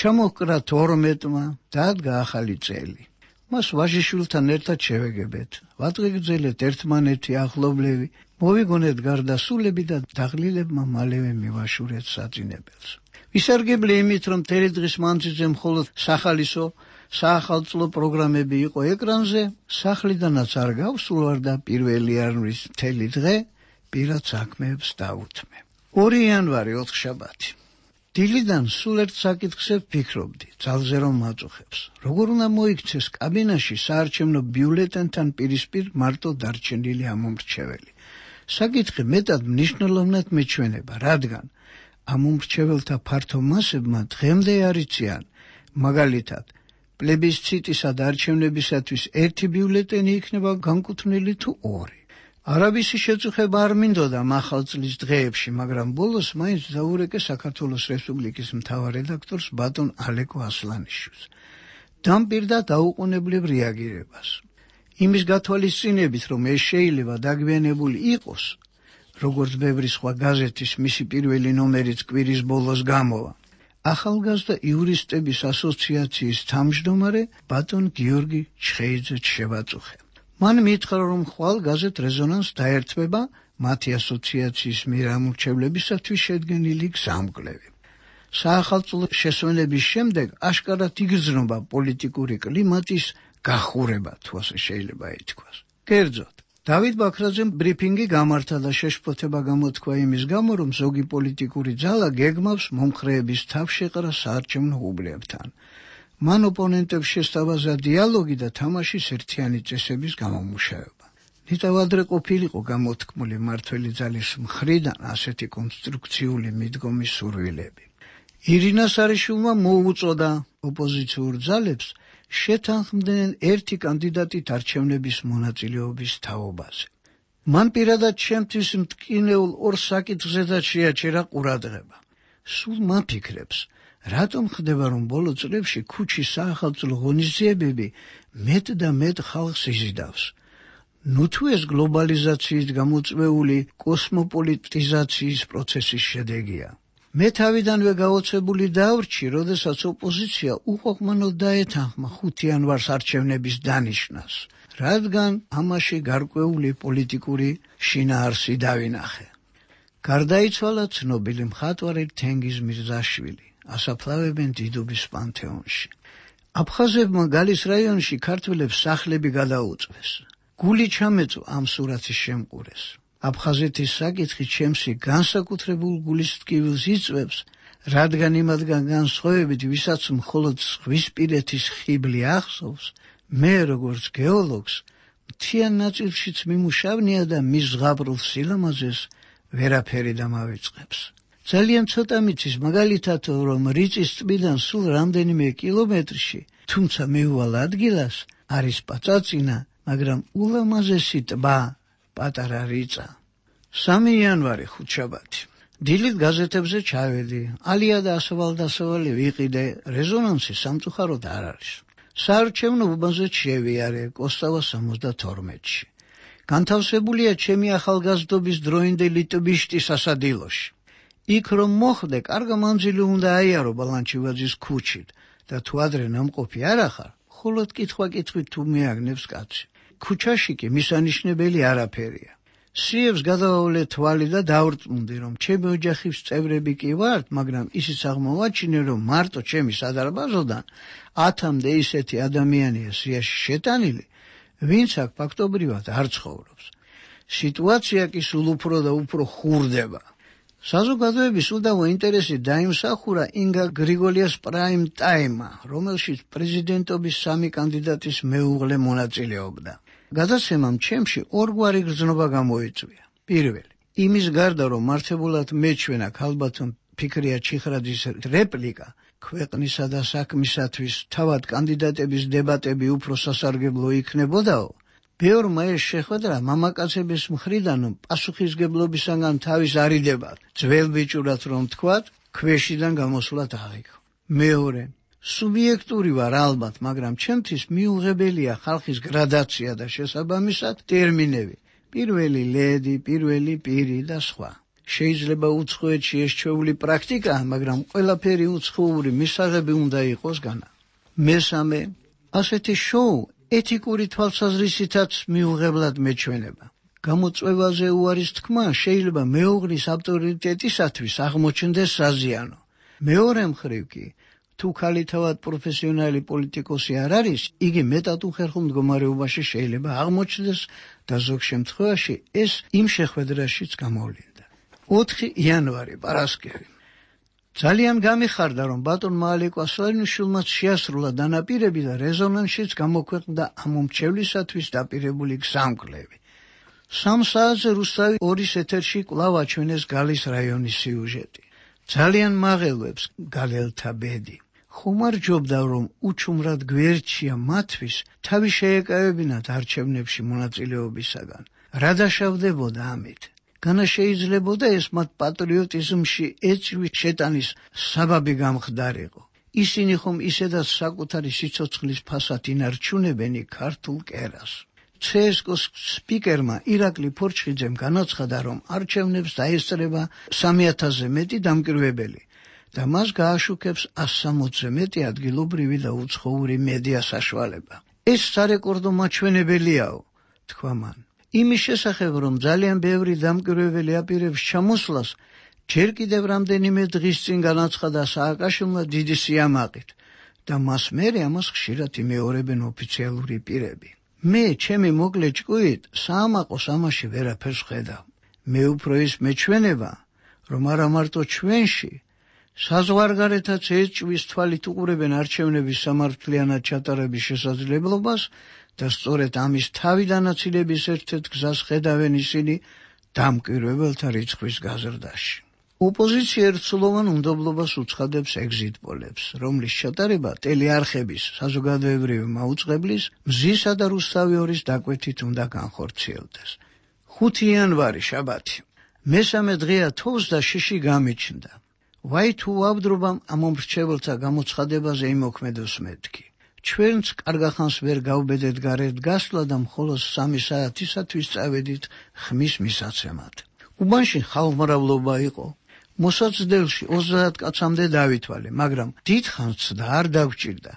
ჩამოჰკრა თორმეტმა, დადგა ახალი წელი. მას ვაჟიშვილთან ერთად შევეგებეთ, ვატყიგრძელეთ ერთმანეთი ახლობლები, მოვიგონეთ გარდასულები და დაღლილებმა მალევე მივაშურეთ საძინებელს. ვისარგებლე იმით, რომ მთელი დღის მანძილზე მხოლოდ სახალისო, საახალწლო პროგრამები იყო ეკრანზე, სახლიდანაც არ გავსულვარ და პირველი იანვრის მთელი დღე პირად საქმეებს დავუთმე. ორი იანვარი ოთხშაბათი. დილიდან სულ ერთ საკითხზე ვფიქრობდი, ძალზე რომ მაწუხებს. როგორ უნდა მოიქცეს კაბინაში საარჩევნო ბიულეტენთან პირისპირ მარტო დარჩენილი ამომრჩეველი. საკითხი მეტად მნიშვნელოვნად მეჩვენება, რადგან ამომრჩეველთა ფართო მასებმა დღემდე არ იციან, მაგალითად, პლებისციტისა და არჩევნებისათვის ერთი ბიულეტენი იქნება განკუთვნილი თუ ორი. არაბისი შეწუხება არ მინდოდა ახალ წლის დღეებში, მაგრამ ბოლოს მაინც დაურეკე საქართველოს რესპუბლიკის მთავარ რედაქტორს ბატონ ალეკო ასლანიშვილს. დამპირდა დაუყოვნებლივ რეაგირებას. იმის გათვალისწინებით, რომ ეს შეიძლება დაგვიანებული იყოს, როგორც ბევრი სხვა გაზეთის მისი პირველი ნომერიც კვირის ბოლოს გამოვა. ახალგაზრდა იურისტების ასოციაციის თავმჯდომარე ბატონ გიორგი ჩხეიძეც შევაწუხე. მან მითხრა, რომ ხვალ გაზეთ რეზონანს დაერთვება მათი ასოციაციის მიერ ამორჩევლებისათვის შედგენილი გზამკვლევი. საახალწლო შესვენების შემდეგ აშკარად იგრძნობა პოლიტიკური კლიმატის გახურება, თუ ასე შეიძლება ითქვას. კერძოდ, დავით ბაქრაძემ ბრიფინგი გამართა და შეშფოთება გამოთქვა იმის გამო, რომ ზოგი პოლიტიკური ძალა გეგმავს მომხრეების თავშეყრას საარჩევნო უბნებთან. მან ოპონენტებს შესთავაზა დიალოგი და თამაშის ერთიანი წესების გამომუშავება. ნიტავ ადრე ყოფილიყო გამოთქმული მმართველი ძალის მხრიდან ასეთი კონსტრუქციული მიდგომის სურვილები. ირინა სარიშვილმა მოუწოდა ოპოზიციურ ძალებს შეთანხმდნენ ერთი კანდიდატით არჩევნების მონაწილეობის თაობაზე. მან პირადად ჩემთვის მტკინეულ ორ საკითხზედაც შეაჩერა ყურადღება. სულ მაფიქრებს, რატომ ხდება, რომ ბოლო წლებში ქუჩის საახალწლო ღონისძიებები მეტ და მეტ ხალხს იზიდავს. ნუ თუ ეს გლობალიზაციით გამოწვეული კოსმოპოლიტიზაციის პროცესის შედეგია. მე თავიდანვე გაოცებული დავრჩი, როდესაც ოპოზიცია უყოყმანოდ დაეთანხმა ხუთი იანვარს არჩევნების დანიშნას, რადგან ამაში გარკვეული პოლიტიკური შინაარსი დავინახე. გარდაიცვალა ცნობილი მხატვარი თენგიზ მირზაშვილი, ასაფლავებენ დიდუბის პანთეონში. აფხაზებმა გალის რაიონში ქართველებს სახლები გადაუწვეს. გული ჩამეწვა ამ სურათის შემყურეს. აფხაზეთის საკითხი ჩემსი განსაკუთრებულ გულის ტკივილს იწვევს, რადგან იმათგან განსხვავებით, ვისაც მხოლოდ ზღვისპირეთის ხიბლი ახსოვს, მე როგორც გეოლოგს მთიან ნაწილშიც მიმუშავნია და მის ზღაპრულ სილამაზეს ვერაფერი დამავიწყებს. ძალიან ცოტა მიცის მაგალითად, რომ რიწის ტბიდან სულ რამდენიმე კილომეტრში, თუმცა მეუვალ ადგილას არის პაწაწინა, მაგრამ ულამაზესი ტბა, პატარა რიწა. სამი იანვარი ხუთშაბათი. დილით გაზეთებზე ჩავედი, ალია და ასავალ-დასავალი ვიყიდე, რეზონანსი სამწუხაროდ არ არის. საარჩევნო უბანზე შევიარე კოსტავა სამოცდათორმეტში. განთავსებულია ჩემი ახალგაზრდობის დროინდელი ტბიშტი სასადილოში. იქ რომ მოხვდე, კარგა მანძილი უნდა აიარო ბალანჩივაძის ქუჩით და თუ ადრე ნამყოფი არ ახარ, მხოლოდ კითხვა-კითხვით თუ მეაგნებს კაცი. ქუჩაში კი მისანიშნებელი არაფერია. სიევს გადავავლე თვალი და დავრწმუნდი, რომ ჩემი ოჯახის წევრები კი ვართ, მაგრამ ისიც აღმოვაჩინე, რომ მარტო ჩემი სადარბაზოდან ათამდე ისეთი ადამიანია სიაში შეტანილი, ვინც აქ ფაქტობრივად არ ცხოვრობს. სიტუაცია კი სულ უფრო და უფრო ხურდება. საზოგადოების უდავო ინტერესი დაიმსახურა ინგა გრიგოლიას პრაიმ ტაიმმა, რომელშიც პრეზიდენტობის სამი კანდიდატის მეუღლე მონაწილეობდა. გადაცემამ ჩემში ორგვარი გრძნობა გამოიწვია. პირველი, იმის გარდა რომ მართებულად მეჩვენა ქალბატონ ფიქრია ჩიხრაძის რეპლიკა, ქვეყნისა და საქმისათვის თავად კანდიდატების დებატები უფრო სასარგებლო იქნებოდაო, ბევრმა ეს შეხვედრა მამაკაცების მხრიდან პასუხისგებლობისაგან თავის არიდებად, ძველ ბიჭურად რომ თქვათ, ქვეშიდან გამოსვლად აღიქო. მეორე, სუბიექტური ვარ ალბათ, მაგრამ ჩემთვის მიუღებელია ხალხის გრადაცია და შესაბამისად ტერმინები. პირველი ლედი, პირველი პირი და სხვა. შეიძლება უცხოეთში ეს ჩვეული პრაქტიკაა, მაგრამ ყველაფერი უცხოური მისაღები უნდა იყოს განა. მესამე, ასეთი შოუ ეთიკური თვალსაზრისითაც მიუღებლად მეჩვენება. გამოწვევაზე უარის თქმა შეიძლება მეუღლის ავტორიტეტისათვის აღმოჩნდეს საზიანო. მეორე მხრივ კი, თუ ქალი თავად პროფესიონალი პოლიტიკოსი არ არის, იგი მეტად უხერხულ მდგომარეობაში შეიძლება აღმოჩნდეს და ზოგ შემთხვევაში ეს იმ შეხვედრაშიც გამოვლინდა. ოთხი იანვარი, პარასკევი. ძალიან გამიხარდა, რომ ბატონმა ალეკო ასლანიშვილმაც შეასრულა დანაპირები და რეზონანსშიც გამოქვეყნდა ამ უმრჩევლისათვის დაპირებული გზამკვლევი. სამ საათზე რუსთავი ორის ეთერში კვლავ აჩვენეს გალის რაიონის სიუჟეტი. ძალიან მაღელვებს გალელთა ბედი. ხომარჯობდა, რომ უჩუმრად გვერდშია მათთვის თავი შეეკავებინათ არჩევნებში მონაწილეობისაგან. რა დაშავდებოდა ამით? განა შეიძლებოდა ეს მათ პატრიოტიზმში ეჭვი შეტანის საბაბი გამხდარიყო. ისინი ხომ ისედაც საკუთარი სიცოცხლის ფასად ინარჩუნებენ ქართულ კერას. ცსკოს სპიკერმა ირაკლი ფორჩხიძემ განაცხადა, რომ არჩევნებს დაესწრება სამი ათასზე მეტი დამკვირვებელი და მას გააშუქებს ასი სამოცზე მეტი ადგილობრივი და უცხოური მედია საშუალება. ეს სარეკორდო მაჩვენებელიაო, თქვა მან. იმის შესახებ, რომ ძალიან ბევრი დამკვირვებელი აპირებს ჩამოსვლას, ჯერ კიდევ რამდენიმე დღის წინ განაცხადა სააკაშვილმა დიდი სიამაყით და მას მერე ამას ხშირად იმეორებენ ოფიციალური პირები. მე ჩემი მოკლე ჭკუით საამაყოს ამაში ვერაფერს ვხედავ. მე უფრო ის მეჩვენება, რომ არა მარტო ჩვენში, საზღვარგარეთაც ეჭვის თვალით უყურებენ არჩევნების სამართლიანად ჩატარების შესაძლებლობას და სწორედ ამის თავი დანაცილების ერთ-ერთ გზას ხედავენ ისინი დამკვირვებელთა რიცხვის გაზრდაში. ოპოზიცია ერთსულოვან უნდობლობას უცხადებს ეგზიტ პოლებს, რომლის ჩატარება ტელეარხების, საზოგადოებრივი მაუწყებლის, მზისა და რუსთავი ორის დაკვეთით უნდა განხორციელდეს. ხუთი იანვარი, შაბათი. მესამე დღეა თოვს და შიში გამიჩნდა. ვაი თუ ვაბდრობამ ამ მომრჩეველთა გამოცხადებაზე იმოქმედოს მეთქი. ჩვენც კარგახანს ვერ გავბედეთ გარეთ გასვლა და მხოლოდ სამი საათისათვის წავედით ხმის მისაცემად. უბანში ხალხმრავლობა იყო. მოსაცდელში ოცდაათ კაცამდე დავითვალე, მაგრამ დიდხანს და არ დაგვჭირდა.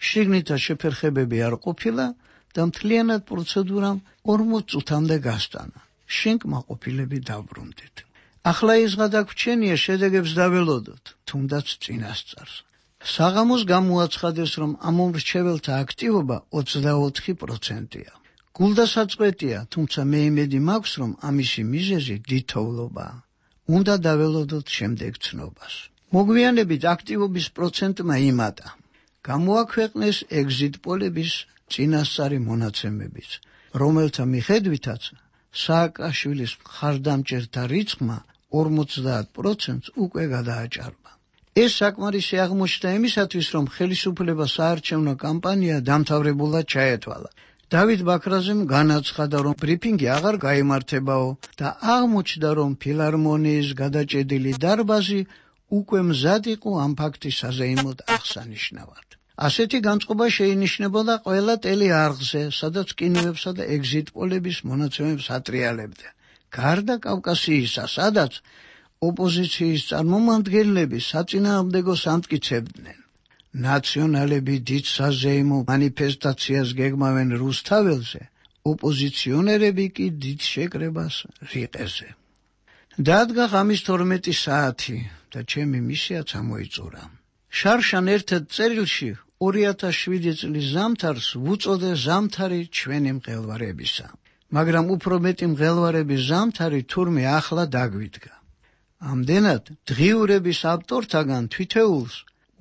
შიგნითა შეფერხებები არ ყოფილა და მთლიანად პროცედურამ ორმოც წუთამდე გასტანა. შენკმაყოფილები დავბრუნდით. ახლა ის გადაგვჩენია შედეგებს დაველოდოთ, თუნდაც წინასწარს. საღამოს გამოაცხადეს, რომ ამომრჩეველთა აქტივობა ოცდაოთხი პროცენტია. გულდასაწყვეტია, თუმცა მე იმედი მაქვს, რომ ამისი მიზეზი დიდთოვლობაა. უნდა დაველოდოთ შემდეგ ცნობას. მოგვიანებით აქტივობის პროცენტმა იმატა. გამოაქვეყნეს ეგზიტ პოლების წინასწარი მონაცემებიც, რომელთა მიხედვითაც სააკაშვილის მხარდამჭერთა რიცხვმა ორმოცდაათ პროცენტს უკვე გადააჭარბა. ეს საკმარისი აღმოჩნდა იმისათვის, რომ ხელისუფლება საარჩევნო კამპანია დამთავრებულად ჩაეთვალა. დავით ბაქრაძემ განაცხადა, რომ ბრიფინგი აღარ გაიმართებაო და აღმოჩნდა, რომ ფილარმონიის გადაჭედილი დარბაზი უკვე მზად იყო ამ ფაქტის საზეიმოდ აღსანიშნავად. ასეთი განწყობა შეინიშნებოდა ყველა ტელეარხზე, სადაც კინოებსა და ეგზიტ პოლების მონაცემებს ატრიალებდა. გარდა კავკასიისა, სადაც ოპოზიციის წარმომადგენლები საწინააღმდეგოს ამტკიცებდნენ. ნაციონალები დიდ საზეიმო მანიფესტაციას გეგმავენ რუსთაველზე, ოპოზიციონერები კი დიდ შეკრებას რიყეზე. დადგა ღამის თორმეტი საათი და ჩემი მისიაც ამოიწურა. შარშან ერთ წერილში ორი ათას შვიდი წლის ზამთარს ვუწოდე ზამთარი ჩვენი მღელვარებისა, მაგრამ უფრო მეტი მღელვარების ზამთარი თურმე ახლა დაგვიდგა. ამდენად დღიურების ავტორთაგან თვითეულს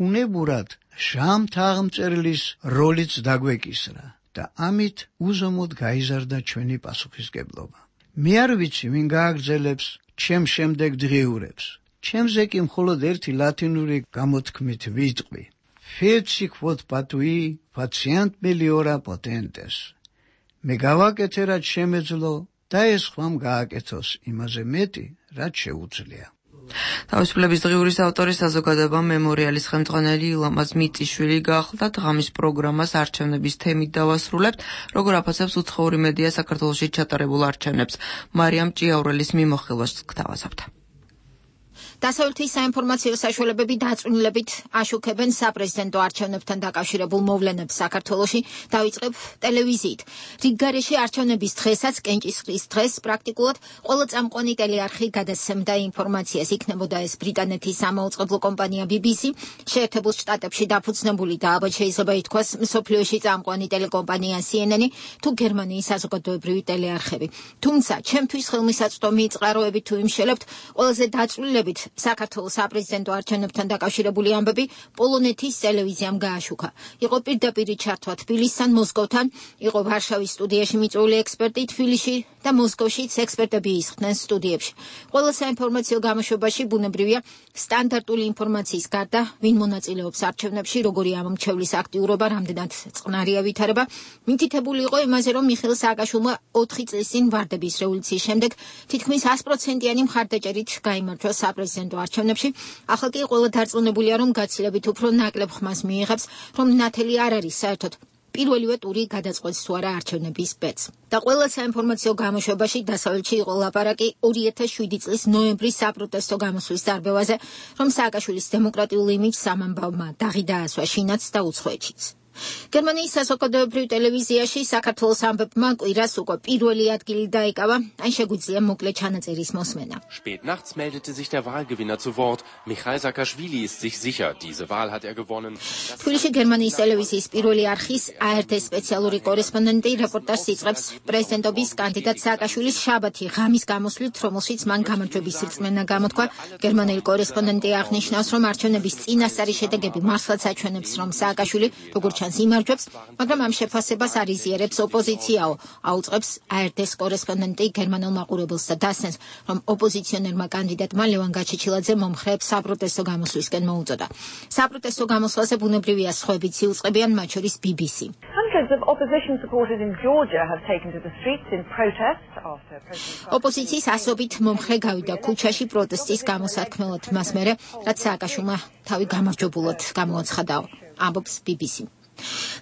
უნებურად ჟამთაღმწერლის როლიც დაგვეკისრა და ამით უზომოდ გაიზარდა ჩვენი პასუხისგებლობა. მე არ ვიცი, ვინ გააგრძელებს ჩემ შემდეგ დღიურებს. ჩემზე კი მხოლოდ ერთი ლათინური გამოთქმით ვიტყვი. Feci quod patui patient meliora potentes. მე გავაკეთე, რაც შემეძლო და ეს ხვამ გააკეთოს იმაზე მეტი, რაც შეუძლია. თავისუფლების დღიურის ავტორის საზოგადოება მემორიალის ხელმძღვანელი ილამაზ მიწიშვილი გახლდათ. ღამის პროგრამას არჩევნების თემით დავასრულებთ. როგორ აფასებს უცხოური მედია საქართველოში ჩატარებულ არჩევნებს. მარიამ ჭიაურელის მიმოხილვას გთავაზობთ. დასავლეთის საინფორმაციო საშუალებები დაწვრილებით აშუქებენ საპრეზიდენტო არჩევნებთან დაკავშირებულ მოვლენებს საქართველოში, დავიწყებ ტელევიზიით. რიგგარეში არჩევნების დღესაც, კენჭისყრის დღეს, პრაქტიკულად ყველა წამყვანი ტელეარხი გადასცემდა ინფორმაციას. იქნებოდა ეს ბრიტანეთის სამაუწყებლო კომპანია ბი ბი სი, შეერთებულ შტატებში დაფუძნებული და ალბათ შეიძლება ითქვას მსოფლიოში წამყვანი ტელეკომპანია სი ენ ენი თუ გერმანიის საზოგადოებრივი ტელეარხები. თუმცა, ჩემთვის ხელმისაწვდომი წყაროებით თუ იმშელებთ, ყველაზე დაწვრილებით საქართველოს საპრეზიდენტო არჩევნებთან დაკავშირებული ამბები პოლონეთის ტელევიზიამ გააშუქა. იყო პირდაპირი ჩართვა თბილისთან, მოსკოვთან, იყო ვარშავის სტუდიაში მიწვეული ექსპერტი თბილისში და მოსკოვშიც ექსპერტები ისხდნენ სტუდიებში. ყველა საინფორმაციო გამოშვებაში ბუნებრივია სტანდარტული ინფორმაციის გარდა, ვინ მონაწილეობს არჩევნებში, როგორი ამომრჩევლის აქტიურობა, რამდენად წყნარი ავითარება, მითითებული იყო იმაზე, რომ მიხეილ სააკაშვილმა ოთხი წლის წინ ვარდების რევოლუციის შემდეგ თითქმის ას პროცენტიანი მხარდაჭერით გაიმარჯვა საპრეზიდენტო არჩევნებში. ახლა კი ყველა დარწმუნებულია, რომ გაცილებით უფრო ნაკლებ ხმას მიიღებს, რომ ნათელი არ არის საერთოდ პირველივე ტური გადაწყვეტს თუ არა არჩევნების ბედს. და ყველა საინფორმაციო გამოშვებაში დასავლეთში იყო ლაპარაკი ორი ათას შვიდი წლის ნოემბრის საპროტესტო გამოსვლის დარბევაზე, რომ სააკაშვილის დემოკრატიულ იმიჯს სამამბავმა დაღი დაასვა შინაც და უცხოეთშიც. გერმანიის საზოგადოებრივ ტელევიზიაში საქართველოს ამბებმა კვირას უკვე პირველი ადგილი დაიკავა, ან შეგვიძლია მოკლე ჩანაწერის მოსმენა. Spät nachts meldete sich der Wahlgewinner zu Wort. Mikhail Saakashvili ist sich sicher, diese Wahl hat er gewonnen. თბილისში გერმანიის ტელევიზიის პირველი არხის A R D სპეციალური კორესპონდენტი რეპორტაჟს იწყებს პრეზიდენტობის კანდიდატ სააკაშვილის შაბათი ღამის გამოსვლით, რომელშიც მან გამარჯვების რწმენა გამოთქვა. გერმანელი კორესპონდენტი აღნიშნავს, რომ არჩევნების წინასწარი შედეგები მართლაც აჩვენებს, რომ სააკაშვილი როგორც იმარჯვებს, მაგრამ ამ შეფასებას არ იზიარებს ოპოზიციაო. აუწყებს A R D-ს კორესპონდენტი გერმანულ მაყურებელს და დასცენს, რომ ოპოზიციონერმა კანდიდატმა ლევან გაჩეჩილაძე მომხრეებს საპროტესტო გამოსვლისკენ მოუწოდა. საპროტესტო გამოსვლაზე ბუნებრივია სხვაებიც იუწყებიან, მათ შორის ბი ბი სი. Hundreds of opposition supporters in Georgia have taken to the streets in protest after President ოპოზიციის ასობით მომხრე გავიდა ქუჩაში პროტესტის გამოსათქმელად მას მერე, რაც სააკაშვილმა თავი გამარჯვებულად გამოაცხადაო. ამბობს ბი ბი სი.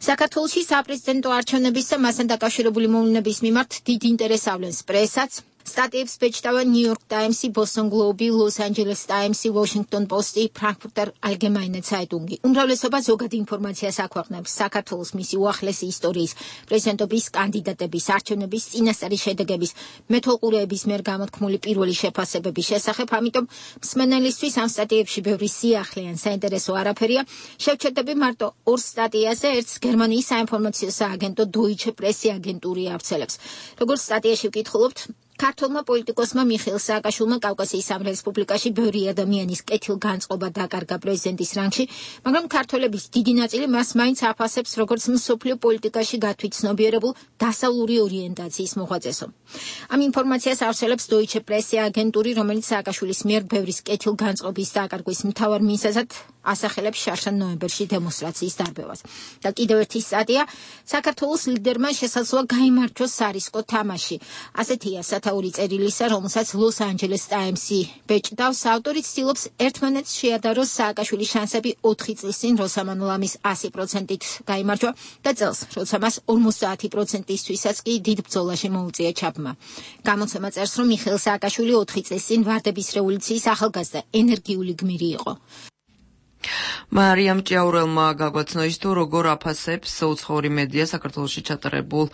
საქართველოში საპრეზიდენტო არჩევნების და მასთან დაკავშირებული მოვლენების მიმართ დიდ ინტერესს ავლენს პრესაც, სტატიებს ბეჭდავენ New York Times-ი, Boston Globe-ი, Los Angeles Times-ი, Washington Post-ი, Frankfurter Allgemeine Zeitung-ი. უმრავლესობა ზოგად ინფორმაციას აქვეყნებს საქართველოს მისი უახლესი ისტორიის, პრეზიდენტობის კანდიდატების, არჩევნების წინასწარი შედეგების, მეთვალყურეების მიერ გამოთქმული პირველი შეფასებების შესახებ, ამიტომ მსმენელისთვის ამ სტატიებში ბევრი სიახლე ან საინტერესო არაფერია. შევჩერდები მარტო ორ სტატიაზე, ერთს გერმანიის საინფორმაციო სააგენტო Deutsche Presse აგენტური ავრცელებს. როგორც სტატიაში ვკითხულობთ, ქართულმა პოლიტიკოსმა მიხეილ სააკაშვილმა კავკასიის ამ რესპუბლიკაში ბევრი ადამიანის კეთილგანწყობა დაკარგა პრეზიდენტის რანგში, მაგრამ ქართველების დიდი ნაწილი მას მაინც აფასებს როგორც მსოფლიო პოლიტიკაში გათვითცნობიერებულ დასავლური ორიენტაციის მოღვაწესო. ამ ინფორმაციას ავრცელებს Deutsche Presse აგენტური, რომელიც სააკაშვილის მიერ ბევრის კეთილგანწყობის დაკარგვის მთავარ მიზეზად ასახელებს შარშან ნოემბერში დემონსტრაციის დარბევას. და კიდევ ერთი სტატია, საქართველოს ლიდერმა შესაძლოა გაიმარჯვოს სარისკო თამაში. ასეთია სათაური წერილისა, რომელსაც Los Angeles Times-ი ბეჭდავს. ავტორი ცდილობს ერთმანეთს შეადაროს სააკაშვილის შანსები ოთხი წლის წინ, როცა მან ლამის ასი პროცენტით გაიმარჯვა და წელს, როცა მას ორმოცდაათი პროცენტისთვისაც კი დიდ ბრძოლაში მოუწია ჩაბმა. გამოცემა წერს, რომ მიხეილ სააკაშვილი ოთხი წლის წინ ვარდების რევოლუციის ახალგაზრდა ენერგიული გმირი იყო. მარიამ ჭიაურელმა გაგვაცნო ის თუ როგორ აფასებს უცხოური მედია საქართველოში ჩატარებულ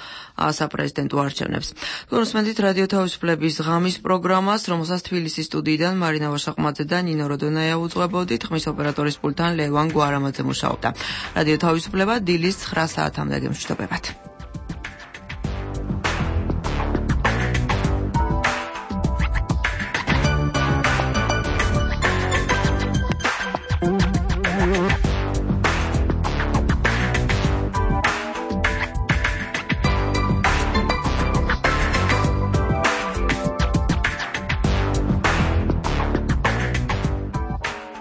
საპრეზიდენტო არჩევნებს. გულისხმობთ რადიო თავისუფლების ღამის პროგრამას, რომელსაც თბილისის სტუდიიდან მარინა ვაშაყმაძე და ნინო როდონაია უძღვებოდით. ხმის ოპერატორის პულტთან ლევან გვარამაძე მუშაობდა. რადიო თავისუფლება დილის ცხრა საათამდე გემშვიდობებათ.